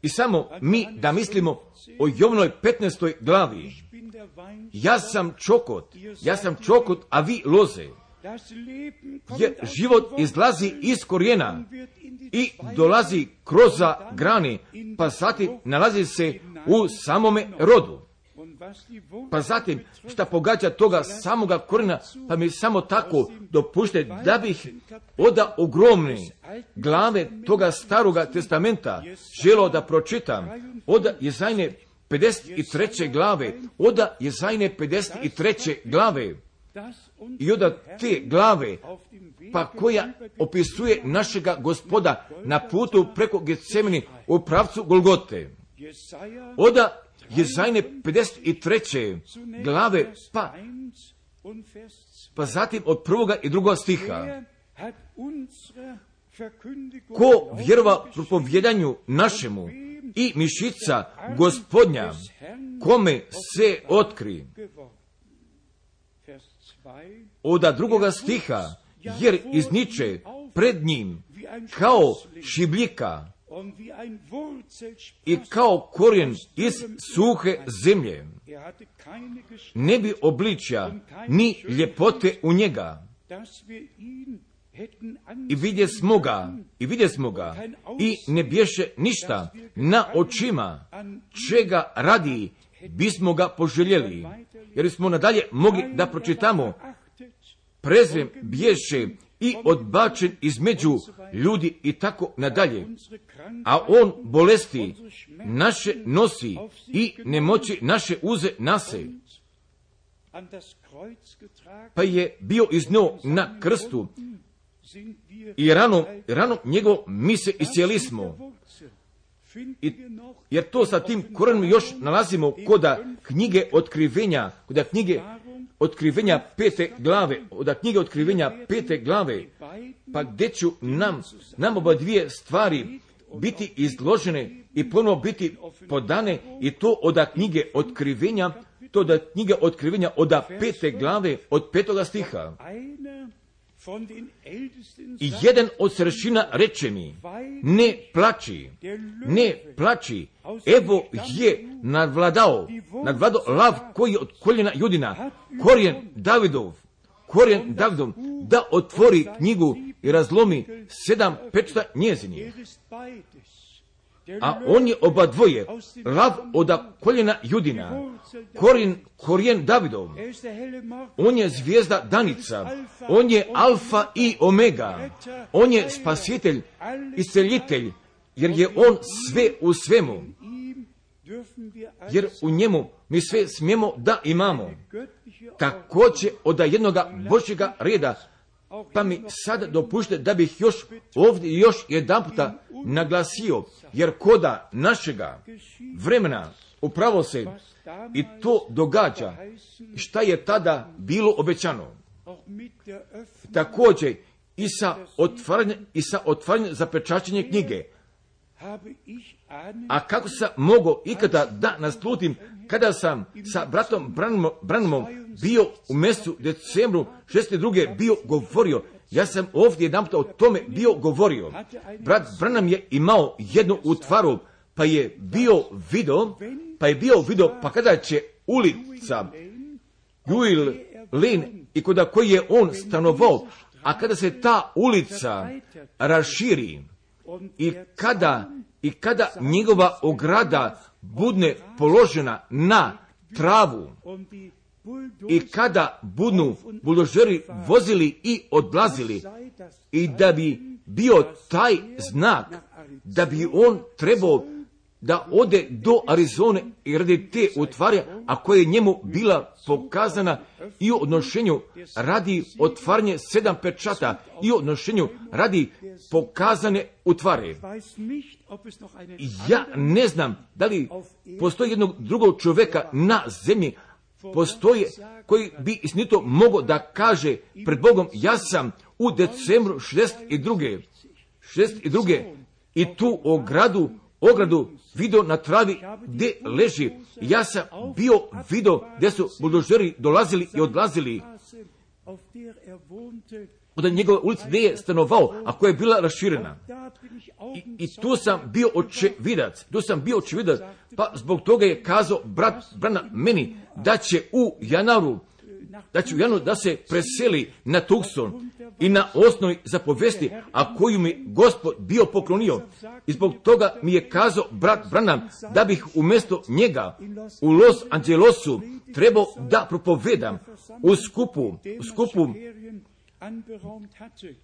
I samo mi da mislimo o Jovnoj 15. glavi. Ja sam čokot, a vi loze. Jer život izlazi iz korijena i dolazi kroz grane, pa zatim nalazi se u samome rodu. Pa zatim, šta pogađa toga samoga korijena, pa mi samo tako dopušte da bih od ogromne glave toga staroga testamenta želio da pročitam od Jezajne 53. glave, i od te glave, pa koja opisuje našega Gospoda na putu preko Getsemani u pravcu Golgote. Od Jezajne 53. glave, pa zatim od 1. i 2. stiha. Ko vjerova propovjedanju našemu i mišica Gospodnja, kome se otkri. Od 2. stiha, jer izniče pred njim kao šibljika i kao korijen iz suhe zemlje. Ne bi obličja ni ljepote u njega. I vidje smo ga i ne bješe ništa na očima, čega radi bismo ga poželjeli. Jer smo nadalje mogli da pročitamo, prezren bješe i odbačen između ljudi i tako nadalje. A on bolesti naše nosi i nemoći naše uze nase. Pa je bio iznio na krstu i rano njegov mi se iscijelismo. Jer to sa tim korenom još nalazimo koda knjige otkrivenja, od knjige otkrivenja 5. glave, pa gdje će nam oba dvije stvari biti izložene i ponovno biti podane, i to od knjige otkrivenja, od 5. glave, od 5. stiha. I jedan od starešina reče mi, ne plači, evo je nadvladao lav koji od koljena Judina, korijen Davidov, da otvori knjigu i razlomi 7 pečata njezinih. A on je oba dvoje, lav od koljena Judina, korijen Davidov, on je zvijezda danica, on je alfa i omega, on je spasitelj, isceljitelj, jer je on sve u svemu. jer u njemu mi sve smijemo da imamo. Također od jednoga Božjega reda, pa mi sada dopušte da bih ovdje još jedan puta naglasio, jer koda našega vremena upravo se i to događa šta je tada bilo obećano. Također i sa otvaranjem zapečaćenje knjige. A kako sam mogao ikada da naslutim kada sam sa bratom Branhamom bio u mjesecu decembru 62. bio govorio. Ja sam ovdje jedanput o tome bio govorio. Brat Branham je imao jednu utvaru, pa je bio video, pa kada će ulica Juil Lane i kod koji je on stanovao, a kada se ta ulica raširi i kada njegova ograda budne položena na travu i kada budnu buldožeri vozili i odlazili i da bi bio taj znak da bi on trebao da ode do Arizone i radi te utvari, a koja je njemu bila pokazana i u odnošenju radi otvaranje 7 pečata i u odnošenju radi pokazane utvare. Ja ne znam da li postoji jednog drugog čovjeka na zemlji postoje koji bi istinito mogao da kaže pred Bogom, ja sam u decembru 62. i tu ogradu vidio na travi gdje leži. Ja sam vidio gdje su buldožeri dolazili i odlazili od njegove ulice gdje je stanovao, a koja je bila raširena. I tu sam bio očevidac, pa zbog toga je kazao brat Branham meni da će u januaru da se preseli na Tucson i na osnovi zapovesti, a koju mi Gospod bio poklonio. I zbog toga mi je kazao brat Branham da bih umjesto njega u Los Angelesu trebao da propovedam u skupu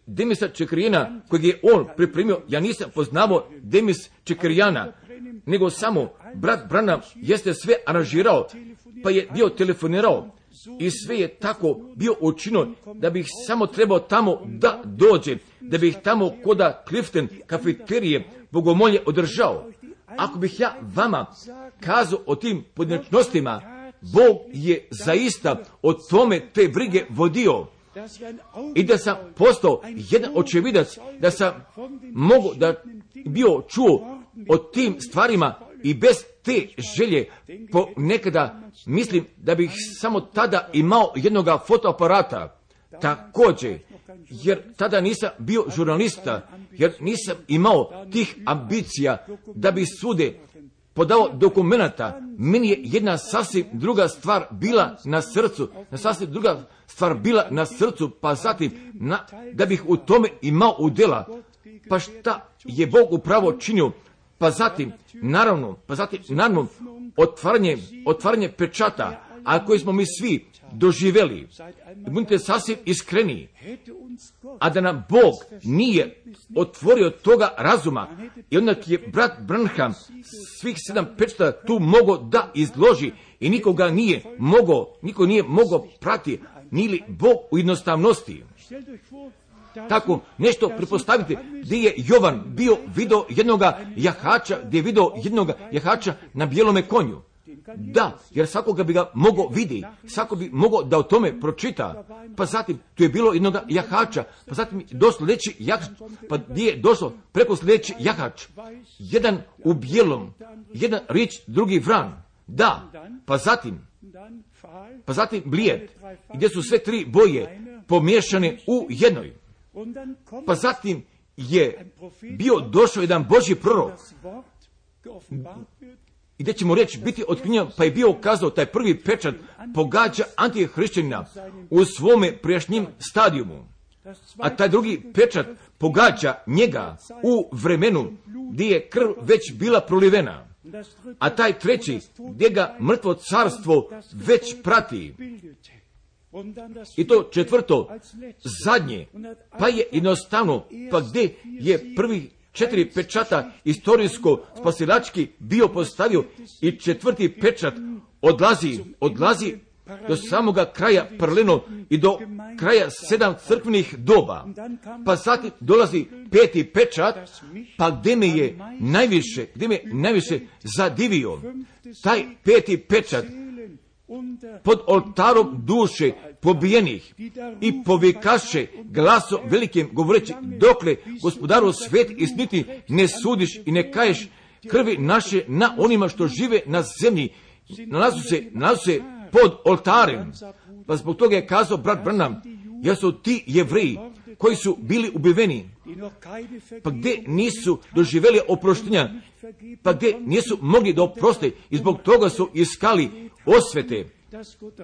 Demisa Čekrijana kojeg je on pripremio. Ja nisam poznavao Demis Čekrijana, nego samo brat Branham jeste sve aranžirao, pa je bio telefonirao i sve je tako bio učinio da bih samo trebao tamo da dođe, da bih tamo koda Clifton kafeterije bogomolje održao. Ako bih ja vama kazao o tim pojedinačnostima, Bog je zaista o tome te brige vodio. I da sam postao jedan očevidac, da sam mogu da bio čuo o tim stvarima i bez te želje ponekada mislim da bih samo tada imao jednoga fotoaparata. Također, jer tada nisam bio žurnalista, jer nisam imao tih ambicija da bi svude podao dokumenata. Meni je jedna sasvim druga stvar bila na srcu, pa zatim da bih u tome imao udjela. Pa šta je Bog upravo činio? Pa zatim, naravno, otvaranje pečata, a koje smo mi svi doživjeli. Budite sasvim iskreni. A da nam Bog nije otvorio toga razuma i onda je brat Branham svih 7 pečata tu mogao da izloži i niko nije mogao prati, nije li Bog u jednostavnosti. Tako nešto pretpostavite gdje je Jovan bio vidio jednoga jahača na bijelome konju. Da, jer svakoga bi ga mogao vidjeti, svako bi mogao da o tome pročita. Pa zatim tu je bilo jednoga jahača, pa zatim do sljedeći jahač, pa gdje je došlo preko sljedeći jahač. Jedan u bijelom, jedan rič, drugi vran. Da, pa zatim blijed, gdje su sve 3 boje pomiješane u jednoj. Pa zatim je bio došao jedan Božji prorok i gdje ćemo reći biti otkrinjen, pa je bio kazao taj prvi pečat pogađa antihrišćanina u svome prijašnjim stadijumu, a taj drugi pečat pogađa njega u vremenu gdje je krv već bila prolivena, a taj treći gdje ga mrtvo carstvo već prati. I to četvrto, zadnje, pa je jednostavno, pa gdje je prvi 4 pečata istorijsko spasilački bio postavio i 4. pečat odlazi do samoga kraja paralelno i do kraja 7 crkvenih doba. Pa zatim dolazi 5. pečat, pa gdje me je najviše zadivio. Taj 5. pečat pod oltarom duše pobijenih i povikaše glasom velikim govoreći, dokle Gospodaru svet i sniti ne sudiš i ne kaješ krvi naše na onima što žive na zemlji, nalazu se pod oltarem. Pa zbog toga je kazao brat Branham, jer su ti Jevreji koji su bili ubiveni, pa gdje nisu doživjeli oproštenja, pa gdje nisu mogli da oproste i zbog toga su iskali osvete,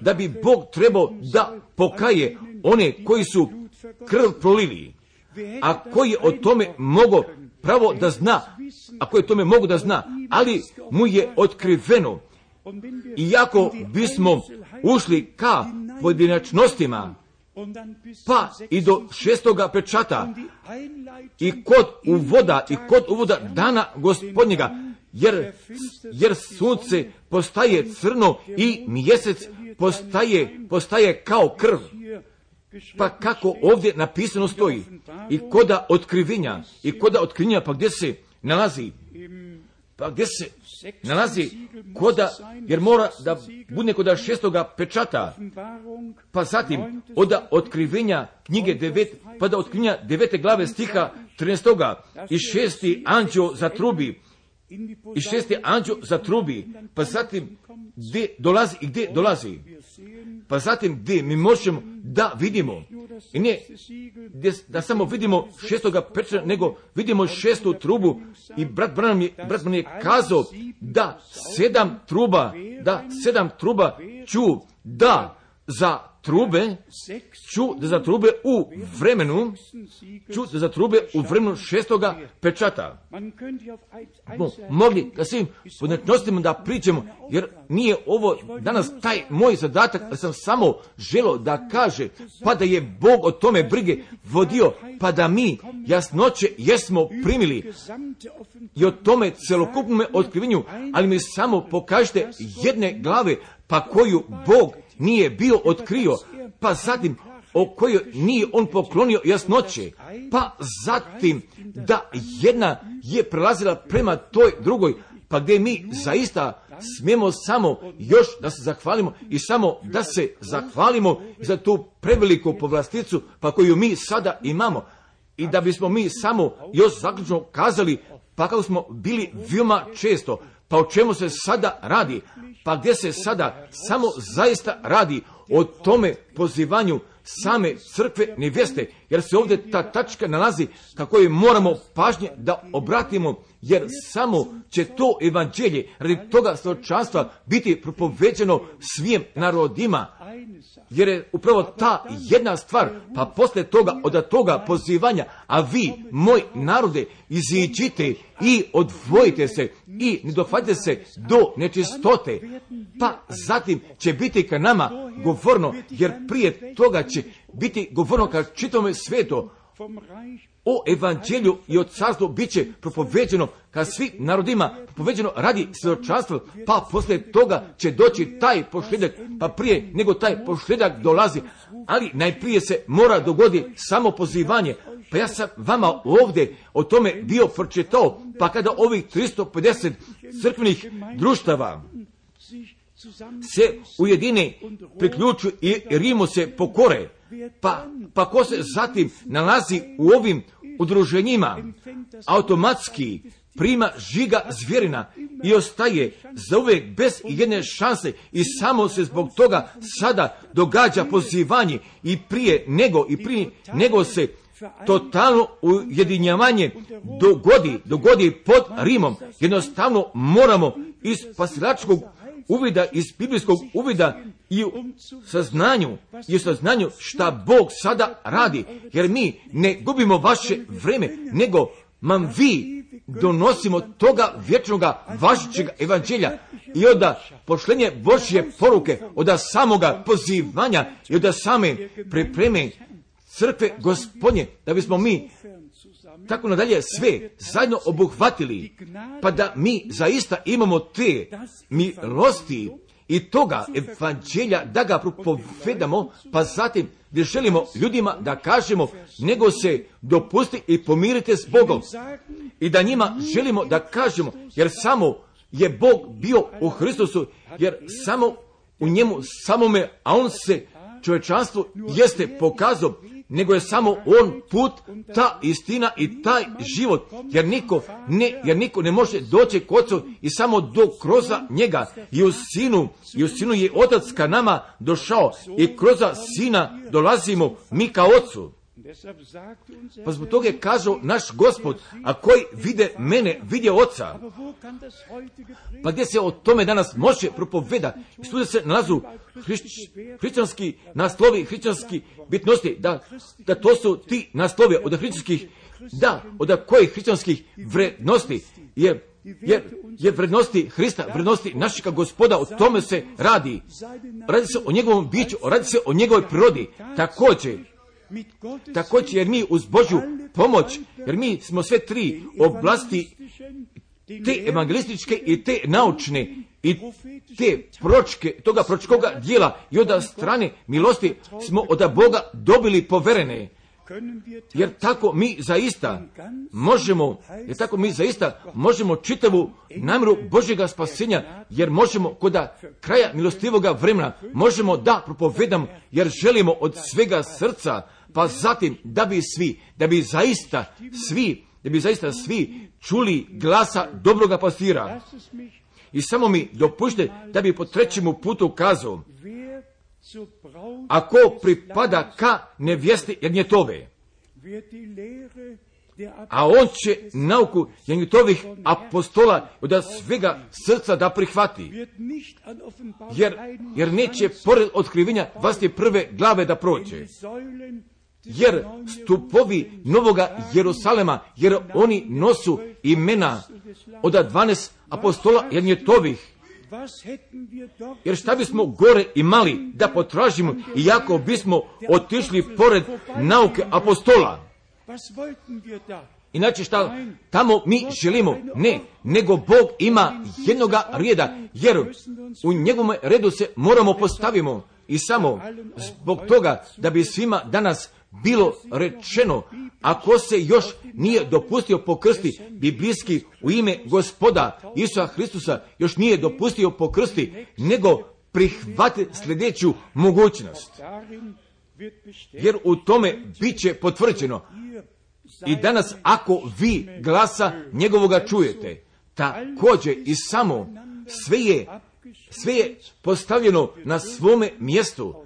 da bi Bog trebao da pokaje one koji su krv prolili, a koji je o tome mogao pravo da zna, ali mu je otkriveno. Iako bismo ušli ka pojedinačnostima, pa i do 6. pečata i kod uvoda dana Gospodnjega, jer sunce postaje crno i mjesec postaje kao krv. Pa kako ovdje napisano stoji, i koda otkrivenja, pa gdje se nalazi? Koda, jer mora da bude koda 6. pečata, pa zatim od otkrivenja knjige 9, pa da otkrivenja 9. glave stiha 13. i 6. anđeo zatrubi, pa zatim gdje dolazi, pa zatim gdje mi možemo da vidimo, i ne da samo vidimo 6. pečata, nego vidimo 6. trubu, i brat Branham je kazao da 7 truba ču da za trube u vremenu 6. pečata. Mogli da svim podnetnostima da pričamo, jer nije ovo danas taj moj zadatak, ali sam samo želio da kaže, pa da je Bog o tome brige vodio, pa da mi jasnoće jesmo primili i o tome celokupnome otkrivenju, ali mi samo pokažite jedne glave, pa koju Bog nije bio otkrio, pa zatim o kojoj nije on poklonio jasnoće, pa zatim da jedna je prelazila prema toj drugoj, pa gdje mi zaista smijemo samo još da se zahvalimo i samo da se zahvalimo za tu preveliku povlasticu, pa koju mi sada imamo, i da bismo mi samo još zaključno kazali, pa kako smo bili veoma često, pa o čemu se sada radi, pa gdje se sada samo zaista radi o tome pozivanju same crkve nevjeste, jer se ovdje ta tačka nalazi kako je moramo pažnje da obratimo, jer samo će to evanđelje radi toga svjedočanstva biti propoveđeno svim narodima, jer je upravo ta jedna stvar, pa poslije toga, od toga pozivanja, a vi, moj narode, iziđite i odvojite se i ne dohvatite se do nečistote, pa zatim će biti ka nama govorno, jer prije toga će biti govorno ka čitome svijetu o evanđelju i o carstvu, bit će propoveđeno ka svim narodima, propoveđeno radi svjedočanstva, pa poslije toga će doći taj posljedak, pa prije nego taj posljedak dolazi, ali najprije se mora dogoditi samo pozivanje. Pa ja sam vama ovdje o tome bio pročitao, pa kada ovih 350 crkvenih društava se ujedine, priključu i Rimu se pokore, pa ko se zatim nalazi u ovim udruženjima, automatski prima žiga zvjerina i ostaje zauvijek bez jedne šanse, i samo se zbog toga sada događa pozivanje i prije nego se totalno ujedinjavanje dogodi pod Rimom. Jednostavno moramo iz spasilačkog uvida, iz biblijskog uvida i u saznanju šta Bog sada radi, jer mi ne gubimo vaše vreme, nego vi donosimo toga vječnoga važećeg evanđelja i od pošlenje Božje poruke, od samoga pozivanja i od same pripreme crkve Gospodnje, da bismo mi tako nadalje sve zajedno obuhvatili, pa da mi zaista imamo te milosti i toga evanđelja da ga propovedamo, pa zatim gdje želimo ljudima da kažemo, nego se dopusti i pomirite s Bogom. I da njima želimo da kažemo, jer samo je Bog bio u Hristusu, jer samo u njemu samome, a on se čovječanstvu jeste pokazao, nego je samo on put, ta istina i taj život, jer niko ne može doći k Ocu i samo kroz njega. I u sinu je Otac ka nama došao i kroz Sina dolazimo mi ka Ocu. Pa zbog toga je kazao naš Gospod, a koji vide mene, vide Oca. Pa gdje se o tome danas može propovedati? I tu se nalazu hrišćanski naslovi, hrišćanski bitnosti, da to su ti naslovi od hrišćanskih, od kojih hrišćanskih vrednosti, jer vrednosti Hrista, vrednosti našega Gospoda, o tome se radi. Radi se o njegovom biću, radi se o njegovoj prirodi, također jer mi uz Božju pomoć, jer mi smo sve tri oblasti, te evangelističke i te naučne i te toga proročkoga dijela i od strane milosti smo od Boga dobili poverene. Jer tako mi zaista možemo čitavu namjeru Božjega spasenja, jer možemo kod kraja milostivoga vremena, možemo da propovedamo, jer želimo od svega srca, pa zatim da bi zaista svi čuli glasa dobroga pastira. I samo mi dopušte da bi po trećemu putu kazao, ako pripada ka nevjesti Jagnjetove, a on će nauku Jagnjetovih apostola od svega srca da prihvati, jer neće pored otkrivenja 21. glave da prođe. Jer stupovi Novoga Jerusalema, jer oni nosu imena od 12 apostola Jagnjetovih. Jer šta bismo gore imali da potražimo, iako bismo otišli pored nauke apostola? Inače šta tamo mi želimo? Ne, nego Bog ima jednoga reda, jer u njegovom redu se moramo postavimo. I samo zbog toga da bi svima danas bilo rečeno, ako se još nije dopustio pokrsti biblijski u ime Gospoda Isusa Hristusa, još nije dopustio pokrsti, nego prihvati sljedeću mogućnost. Jer u tome bit će potvrđeno. I danas ako vi glasa njegovoga čujete, također i samo sve je postavljeno na svome mjestu,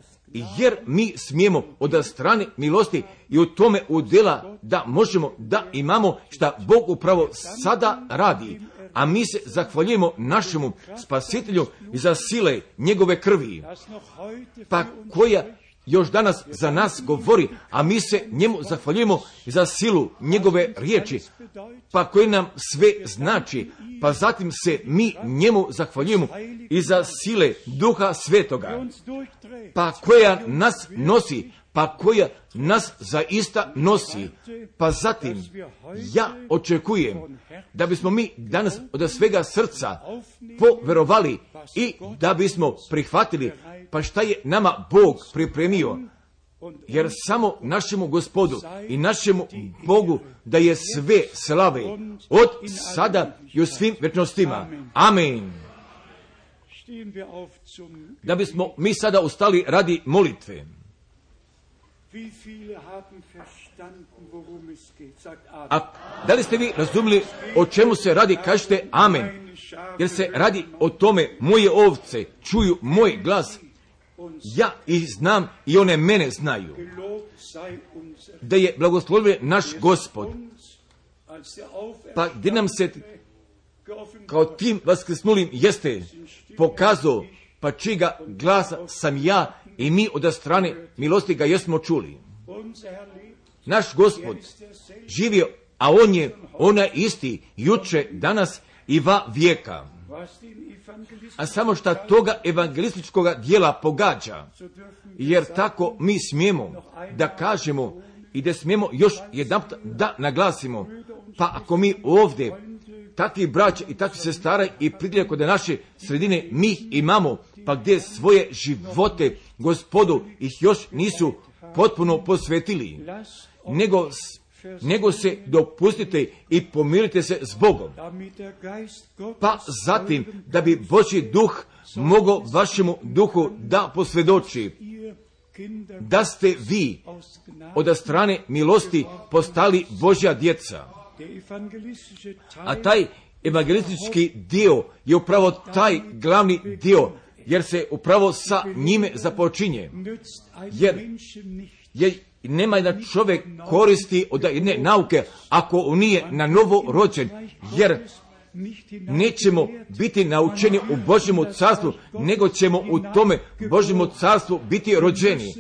jer mi smijemo od strane milosti i u tome udjela da možemo da imamo šta Bog upravo sada radi, a mi se zahvaljujemo našemu Spasitelju za sile njegove krvi, pa koja još danas za nas govori, a mi se njemu zahvaljujemo za silu njegove riječi, pa koji nam sve znači, pa zatim se mi njemu zahvaljujemo i za sile Duha Svetoga, pa koja nas nosi, pa koja nas zaista nosi. Pa zatim ja očekujem da bismo mi danas od svega srca poverovali i da bismo prihvatili pa šta je nama Bog pripremio, jer samo našemu Gospodu i našemu Bogu da je sve slave od sada i u svim večnostima. Amen. Da bismo mi sada ustali radi molitve. A da li ste vi razumili o čemu se radi? Kažete amen. Jer se radi o tome, moje ovce čuju moj glas, ja ih znam i one mene znaju. Da je blagoslovljen naš Gospod. Pa gdje nam se kao tim vaskrsnulim jeste pokazao, pa čega glasa sam ja i mi od strane milosti ga jesmo čuli. Naš Gospod živio, a on je isti juče, danas i va vijeka. A samo šta toga evangelističkoga dijela pogađa, jer tako mi smijemo da kažemo I da smijemo još jedanput da naglasimo, pa ako mi ovdje takvi braća i takvi sestara i pridjelja kod naše sredine mi ih imamo, pa gdje svoje živote Gospodu ih još nisu potpuno posvetili, nego se dopustite i pomirite se s Bogom. Pa zatim, da bi Božji duh mogao vašemu duhu da posvjedoči da ste vi od strane milosti postali Božja djeca. A taj evangelistički dio je upravo taj glavni dio, jer se upravo sa njime započinje. Jer nema jedan čovjek koristi od jedne nauke ako on nije na novo rođen, jer nećemo biti naučeni u Božjemu carstvu, nego ćemo u tome Božjemu carstvu biti rođeni.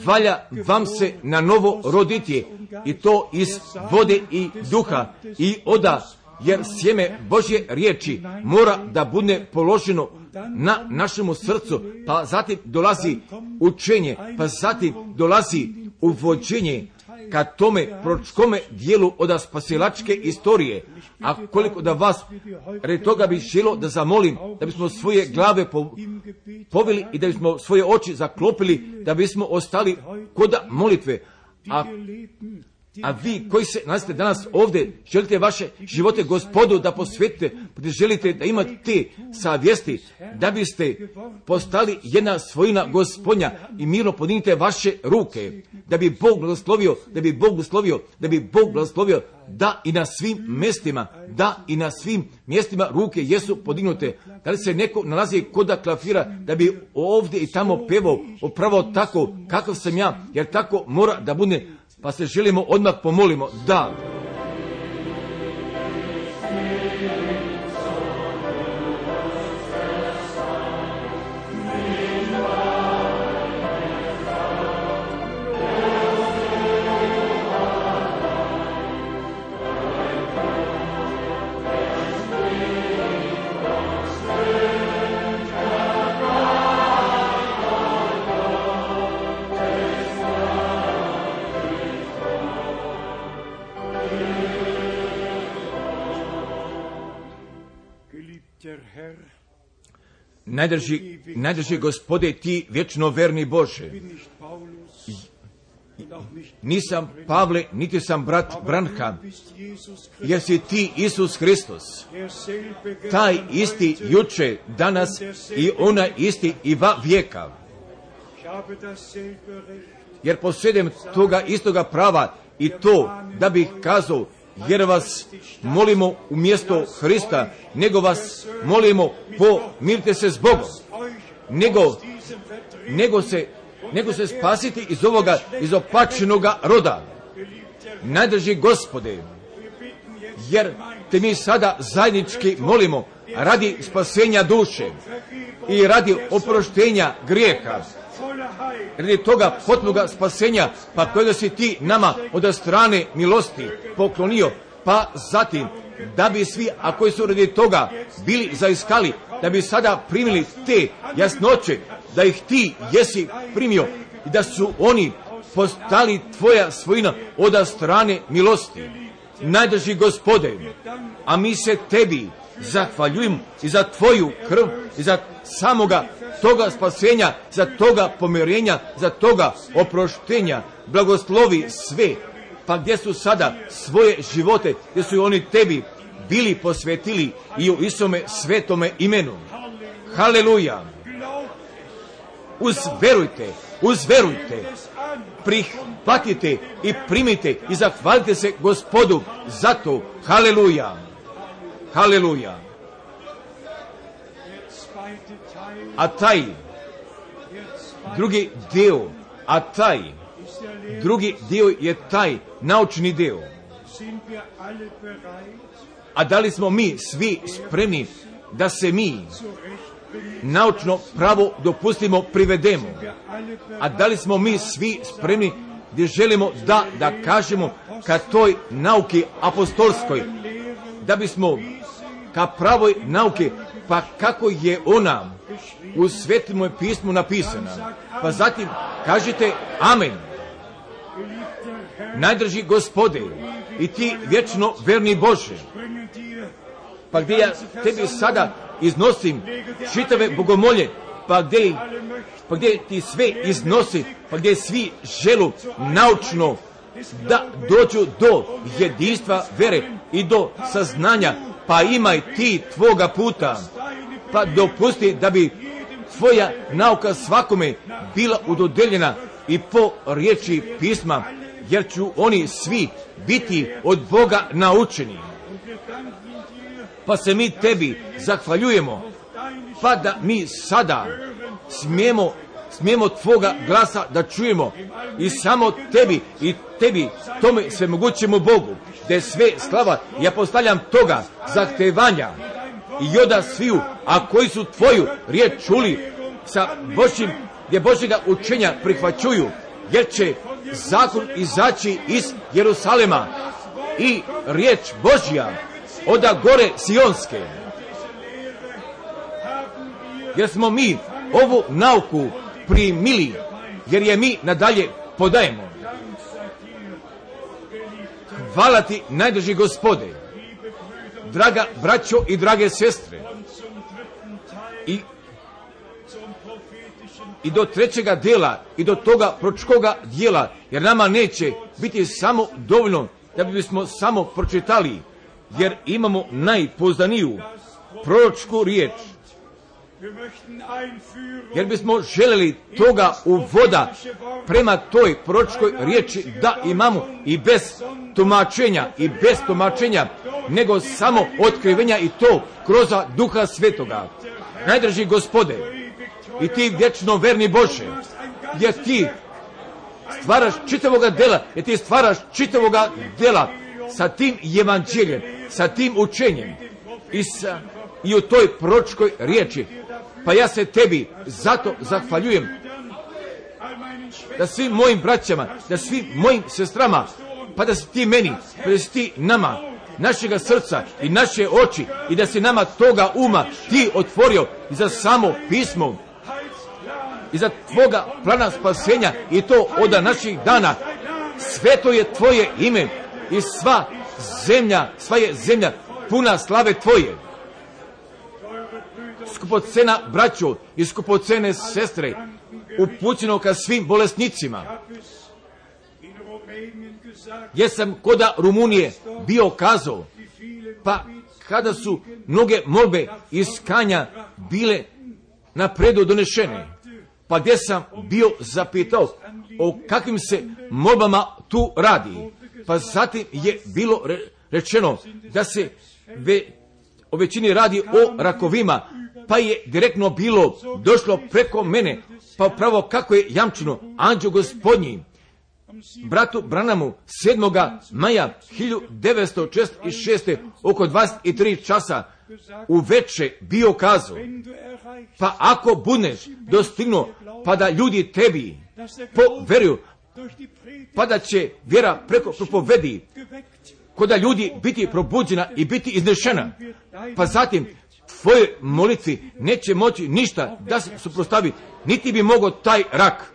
Valja vam se na novo roditi, i to iz vode i duha i oda, jer sjeme Božje riječi mora da bude položeno na našemu srcu, pa zatim dolazi učenje, pa zatim dolazi uvođenje ka tome proročkome dijelu od spasilačke istorije. A koliko da vas radi toga bi želo da zamolim, da bismo svoje glave poveli i da bismo svoje oči zaklopili, da bismo ostali kod molitve. A vi koji se nalazite danas ovdje, želite vaše živote Gospodu da posvetite, da želite da imate te savjesti, da biste postali jedna svojina Gospodnja i mirno podignite vaše ruke, da bi Bog blagoslovio, da i na svim mjestima, ruke jesu podignute. Da li se neko nalazi kod klafira, da bi ovdje i tamo pevao upravo tako kakav sam ja, jer tako mora da bude. Pa se želimo odmah pomolimo, da. Najdrži Gospode, ti vječno verni Bože. Nisam Pavle, niti sam brat Branham, jer si ti Isus Hristos, taj isti juče, danas i onaj isti i va vijeka. Jer posjedem toga istoga prava i to da bih kazao, jer vas molimo umjesto Hrista, nego vas molimo pomirite se s Bogom, nego se spasiti iz ovoga izopačenoga roda. Najdrži Gospode, jer te mi sada zajednički molimo radi spasenja duše i radi oproštenja grijeha, radi toga potpunoga spasenja, pa kojega si ti nama od strane milosti poklonio, pa zatim da bi svi, a koji su radi toga bili zaiskali, da bi sada primili te jasnoće, da ih ti jesi primio i da su oni postali tvoja svojina od strane milosti. Najdrži Gospode, a mi se tebi zahvaljujemo i za tvoju krv i za samoga toga spasenja, za toga pomirenja, za toga oproštenja. Blagoslovi sve, pa gdje su sada svoje živote, gdje su oni tebi bili posvetili i u Isome svetome imenu. Haleluja! Uzverujte, prihvatite i primite i zahvalite se Gospodu za to. Haleluja! Haleluja! A taj drugi dio je taj naučni dio. A da li smo mi svi spremni da se mi naučno pravo dopustimo privedemo? A da li smo mi svi spremni gdje želimo da kažemo ka toj nauki apostolskoj, da bismo ka pravoj nauki, pa kako je ona u Svetom pismu napisana, pa zatim kažite amen. Najdrži Gospode i ti vječno verni Bože, pa gdje ja tebi sada iznosim čitave bogomolje, pa gdje ti sve iznosi, pa gdje svi želu naučno da dođu do jedinstva vere i do saznanja, pa imaj ti tvoga puta, pa dopusti da bi tvoja nauka svakome bila udodeljena i po riječi pisma, jer ću oni svi biti od Boga naučeni. Pa se mi tebi zahvaljujemo, pa da mi sada smijemo tvoga glasa da čujemo i samo tebi i tebi tome svemogućemu Bogu, da je sve slava. Ja postavljam toga zahtevanja i joda sviju, a koji su tvoju riječ čuli sa Božjim, gdje Božjega učenja prihvaćuju, jer će zakon izaći iz Jerusalema i riječ Božja oda gore Sionske. Jer smo mi ovu nauku primili, jer je mi nadalje podajemo. Hvala ti, najdrži Gospode, draga braćo i drage sestre. I do trećega dela i do toga proročkoga dijela, jer nama neće biti samo dovoljno da bismo samo pročitali, jer imamo najpouzdaniju proročku riječ, jer bismo željeli toga uvoda prema toj proročkoj riječi da imamo i bez tumačenja, nego samo otkrivenja, i to kroz Duha Svetoga. Najdrži Gospode i ti vječno verni Bože, jer ti stvaraš čitavoga dela, sa tim evanđeljem, sa tim učenjem i u toj proročkoj riječi. Pa ja se tebi zato zahvaljujem, da svim mojim braćama, da svim mojim sestrama, pa da si ti meni, pa da si ti nama, našega srca i naše oči, i da si nama toga uma ti otvorio i za samo pismo i za tvoga plana spasenja, i to od naših dana. Sveto je tvoje ime i sva je zemlja puna slave tvoje. Skupocena braćo i skupocene sestre, upućeno ka svim bolesnicima. Jesam koda Rumunije bio kazao, pa kada su mnoge molbe iz Kanja bile napredu donešene, pa gdje sam bio zapitao o kakvim se molbama tu radi, pa zatim je bilo rečeno da se o većini radi o rakovima, pa je direktno bilo došlo preko mene, pa pravo kako je jamčeno anđeo Gospodnji bratu Branamu 7. maja 1946. oko 23 časa uveče bio kazao, pa ako budeš dostignuo, pa da ljudi tebi poveruju, pa da će vjera preko propovedi koda ljudi biti probuđena i biti iznešena, pa zatim tvoje molitvi neće moći ništa da se suprotstavi, niti bi mogao taj rak.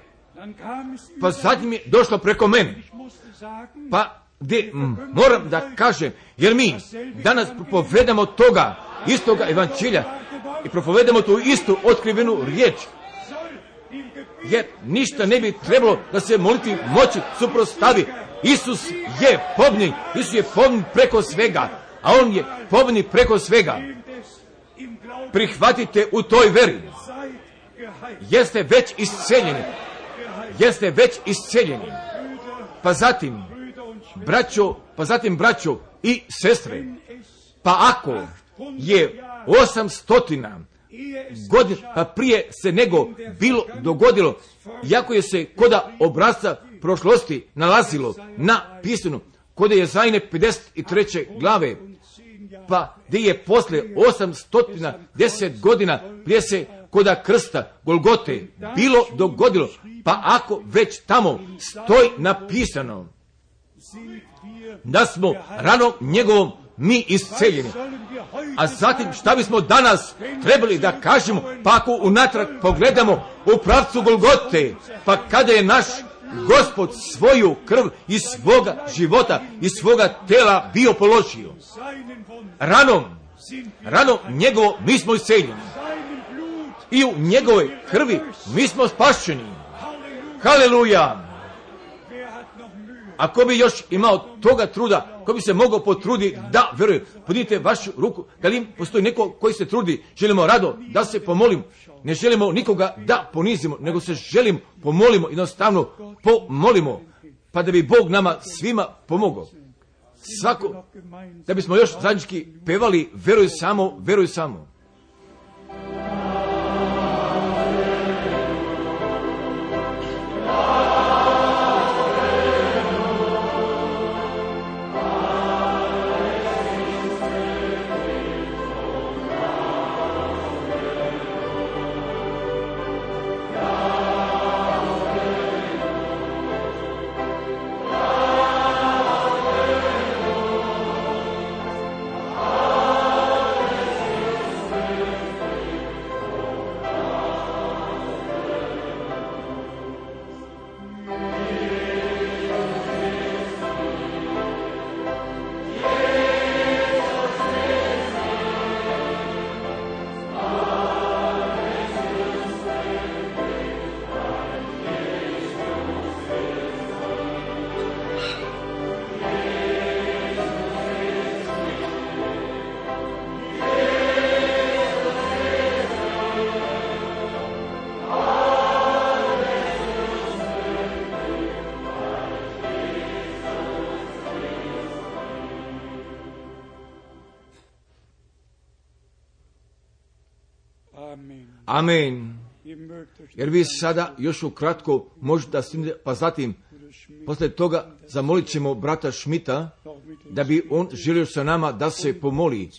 Pa zatim je došlo preko mene, pa gdje moram da kažem, jer mi danas propovedamo toga istoga evanđelja i propovedamo tu istu otkrivenu riječ, jer ništa ne bi trebalo da se molitvi moći suprotstavi. Isus je pobjednik preko svega, a on je pobjednik preko svega. Prihvatite u toj veri. Jeste već isceljeni. Pa zatim braćo i sestre, pa ako je 800 godina prije se nego bilo dogodilo, iako je se koda obrazca prošlosti nalazilo na pisanu kod Jezajine 53. glave, pa gdje je poslije 810 godina prije se koda krsta Golgote bilo dogodilo, pa ako već tamo stoji napisano da smo ranom njegovom mi isceljeni, a zatim šta bismo danas trebali da kažemo, pa ako unatrag pogledamo u pravcu Golgote, pa kada je naš Gospod svoju krv iz svoga života, iz svoga tela bio položio. Ranom njegovo mi smo isceljeni. I u njegovoj krvi mi smo spašeni. Haleluja! Ako bi još imao toga truda, ko bi se mogao potruditi da vjeruje, podite vašu ruku, da li postoji neko koji se trudi, želimo rado da se pomolim, ne želimo nikoga da ponizimo, nego se želimo pomolimo, jednostavno pomolimo, pa da bi Bog nama svima pomogao. Svako, da bismo još zajednički pevali, veruj samo, veruj samo. Amen. Jer vi sada još ukratko možete stignete, pa zatim poslije toga zamolit ćemo brata Šmita da bi on želio sa nama da se pomoli,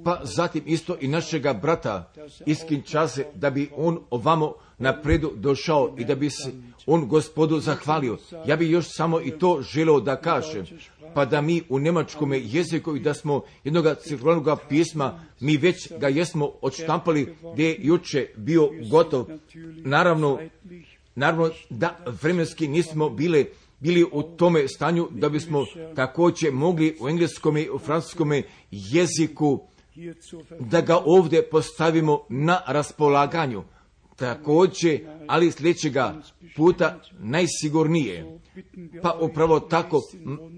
pa zatim isto i našega brata iz Kinshase da bi on ovamo napredu došao i da bi se on Gospodu zahvalio. Ja bih još samo i to želio da kažem, pa da mi u njemačkom jeziku i da smo jednoga cirkularnog pisma, mi već ga jesmo odštampali gdje je juče bio gotov. Naravno da vremenski nismo bili u tome stanju da bismo također mogli u engleskom i u francuskom jeziku da ga ovdje postavimo na raspolaganju. Također, ali sljedećega puta najsigurnije. Pa upravo tako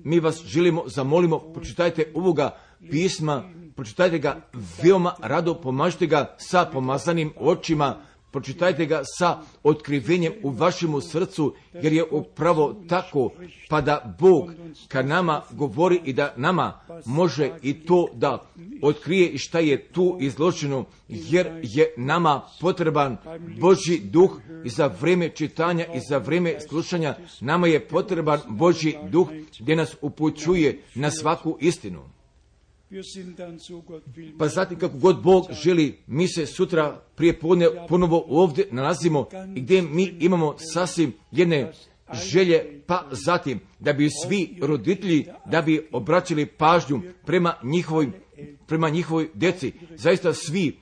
mi vas želimo, zamolimo, pročitajte ovoga pisma, pročitajte ga veoma rado, pomažite ga sa pomazanim očima, pročitajte ga sa otkrivenjem u vašemu srcu, jer je upravo tako, pa da Bog kad nama govori i da nama može i to da otkrije i šta je tu izloženo, jer je nama potreban Božji duh i za vrijeme čitanja i za vrijeme slušanja, nama je potreban Božji duh gdje nas upućuje na svaku istinu. Pa zatim kako god Bog želi, mi se sutra prije podne ponovo ovdje nalazimo i gdje mi imamo sasvim jedne želje, pa zatim da bi svi roditelji da bi obraćali pažnju prema njihovoj djeci, zaista svi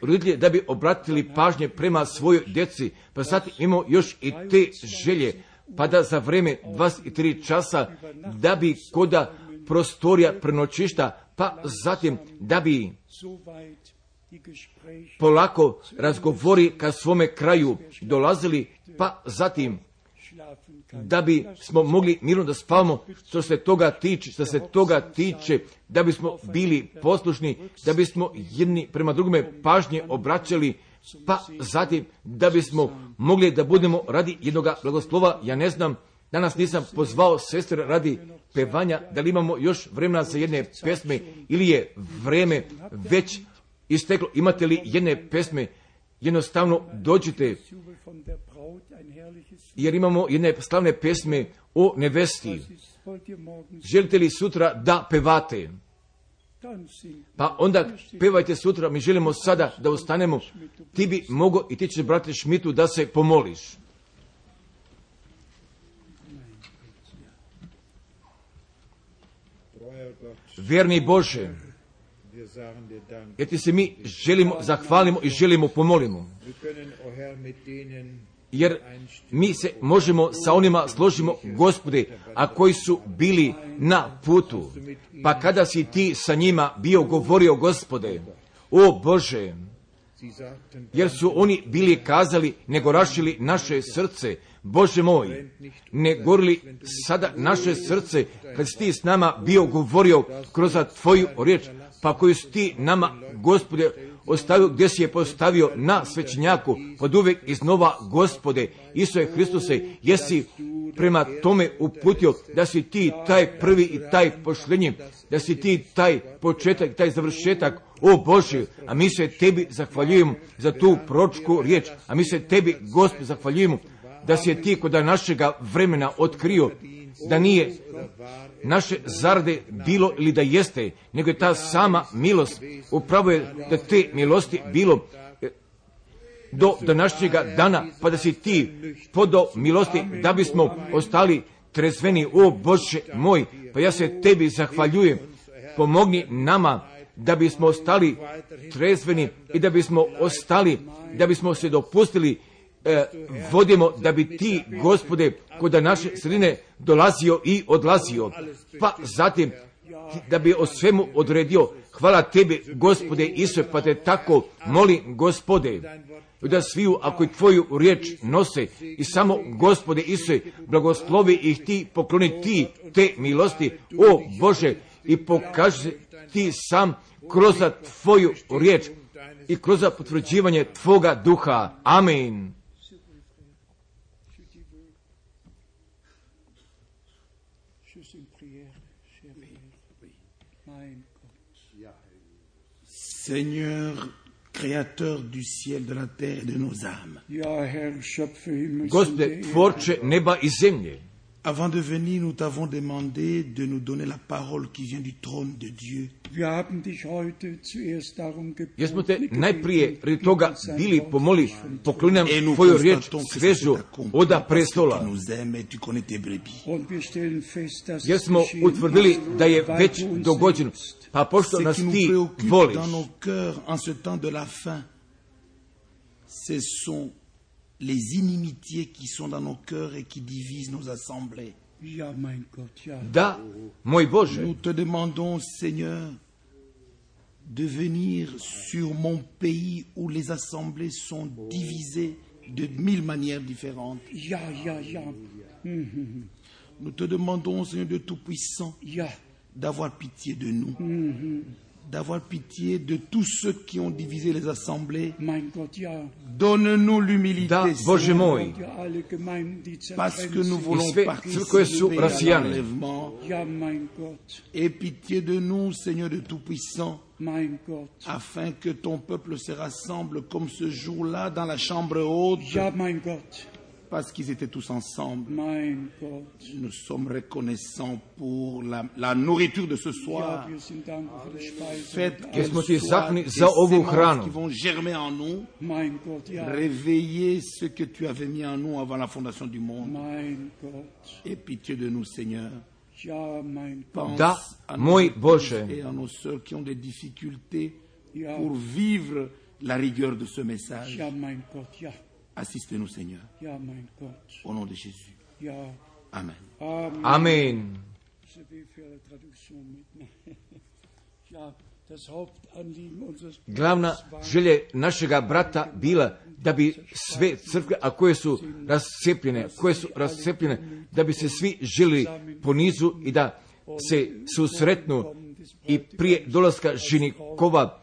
roditelji da bi obratili pažnje prema svojoj djeci, pa zatim imamo još i te želje, pa da za vrijeme 23 časa da bi koda prostorija prenoćišta, pa zatim da bi polako razgovori ka svome kraju dolazili, pa zatim da bi smo mogli mirno da spavamo što se toga tiče, da bismo bili poslušni, da bismo jedni prema drugome pažnje obraćali, pa zatim da bismo mogli da budemo radi jednoga blagoslova. Ja ne znam, danas nisam pozvao sestre radi pevanja, da li imamo još vremena za jedne pesme ili je vreme već isteklo. Imate li jedne pesme, jednostavno dođite, jer imamo jedne slavne pesme o nevesti. Želite li sutra da pevate? Pa onda pevajte sutra, mi želimo sada da ustanemo. Ti bi mogao i ti ćeš, brate Šmitu, da se pomoliš. Vjerni Bože, jer ti se mi želimo, zahvalimo i želimo pomolimo. jer mi se možemo sa onima složimo, Gospode, a koji su bili na putu. Pa kada si ti sa njima bio govorio, Gospode, o Bože, jer su oni bili kazali, nego rašili naše srce, Bože moj, ne gorili sada naše srce, kad si ti s nama bio govorio kroz tvoju riječ, pa koju si ti nama, Gospode, ostavio, gdje si je postavio na svećenjaku, pod uvijek iznova, Gospode, Isuse Hristuse, jesi prema tome uputio da si ti taj prvi i taj pošljenji, da si ti taj početak, taj završetak, o Bože, a mi se tebi zahvaljujemo za tu proročku riječ, a mi se tebi, Gospod, zahvaljujemo da si je ti kod našega vremena otkrio da nije naše zarade bilo ili da jeste, nego je ta sama milost. Upravo je da te milosti bilo do današnjega dana, pa da si ti podao milosti da bismo ostali trezveni, o Bože moj, pa ja se tebi zahvaljujem. Pomogni nama da bismo ostali trezveni i da bismo ostali, da bismo se dopustili vodimo da bi ti, Gospode, kod naše sredine dolazio i odlazio, pa zatim da bi o svemu odredio. Hvala tebi, Gospode Isuse, pa te tako molim, Gospode, da sviju ako i tvoju riječ nose i samo, Gospode Isuse, blagoslovi ih ti, pokloni ti te milosti, o Bože, i pokaži ti sam kroz tvoju riječ i kroz potvrđivanje tvoga duha. Amen. Seigneur, créateur du ciel, de la terre et de nos âmes. Gospode, tvorče neba i zemlje. Avant de venir, nous t'avons demandé de nous donner la parole qui vient du trône de Dieu. Jesmo te najprije radi toga bili pomoli, pokloni nam tvoju riječ svežu oda prestola. Jer smo utvrdili da je već dogođeno, pa pošto nas ti voliš. Ce sont les inimitiés qui sont dans nos cœurs et qui divisent nos assemblées. Da, moj Bože. Nous te demandons, Seigneur, de venir sur mon pays où les assemblées sont divisées de 1000 manières différentes. Nous te demandons, Seigneur de Tout-Puissant, d'avoir pitié de nous. D'avoir pitié de tous ceux qui ont divisé les assemblées. Donne-nous l'humilité, Seigneur, parce que nous voulons participer à l'enlèvement. Et pitié de nous, Seigneur de Tout-Puissant, afin que ton peuple se rassemble comme ce jour-là dans la chambre haute. Parce qu'ils étaient tous ensemble. Nous sommes reconnaissants pour la nourriture de ce soir. Faites qu'elles soient des semences qui vont germer en nous. Réveiller ce que tu avais mis en nous avant la fondation du monde. Et pitié de nous, Seigneur. Pense à nos frères et à nos sœurs qui ont des difficultés pour vivre la rigueur de ce message. Assistez-nous, Seigneur. Au nom de Jésus. Amen. Amen. Glavna želja našega brata bila da bi sve crkve, a koje su rascepljene, da bi se svi žili po nizu i da se susretnu i prije dolaska ženikova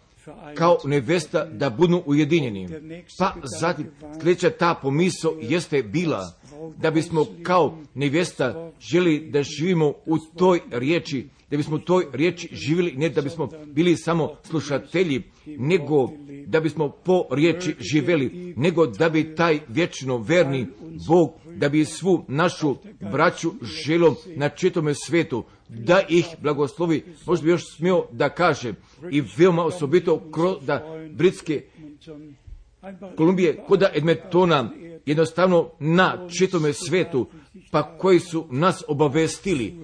kao nevesta da budu ujedinjeni. Pa zatim sljedeća ta pomisao jeste bila da bismo kao nevesta želi da živimo u toj riječi, da bismo u toj riječi živjeli, ne da bismo bili samo slušatelji, nego da bismo po riječi živjeli, nego da bi taj vječno verni Bog, da bi svu našu braću želio na čitome svetu, da ih blagoslovi. Možda bi još smio da kaže i veoma osobito kroz Britske Kolumbije, kod Edmontona, jednostavno na čitome svetu, pa koji su nas obavestili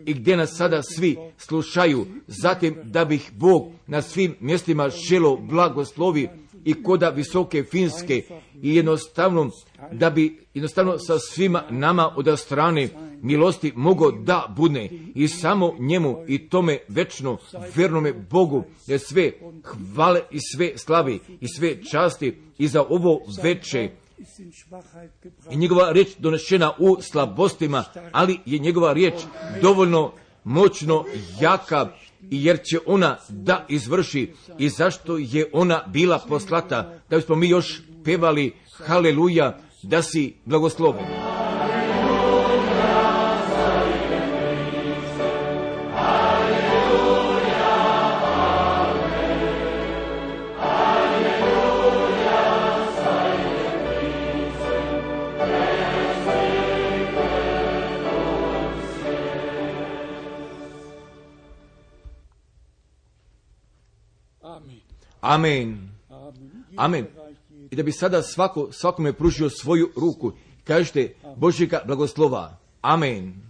i gdje nas sada svi slušaju, zatim da bih Bog na svim mjestima želio blagoslovi i koda visoke Finske i jednostavno, da bi jednostavno sa svima nama od strane milosti mogo da bude i samo njemu i tome večno vernome Bogu je sve hvale i sve slavi i sve časti i za ovo veče. I njegova riječ donešena u slabostima, ali je njegova riječ dovoljno moćno jaka, i jer će ona da izvrši i zašto je ona bila poslata, da bismo mi još pevali haleluja, da si blagosloven. Amen. Amen. I da bi sada svakome pružio svoju ruku, kažete Božjega blagoslova. Amen.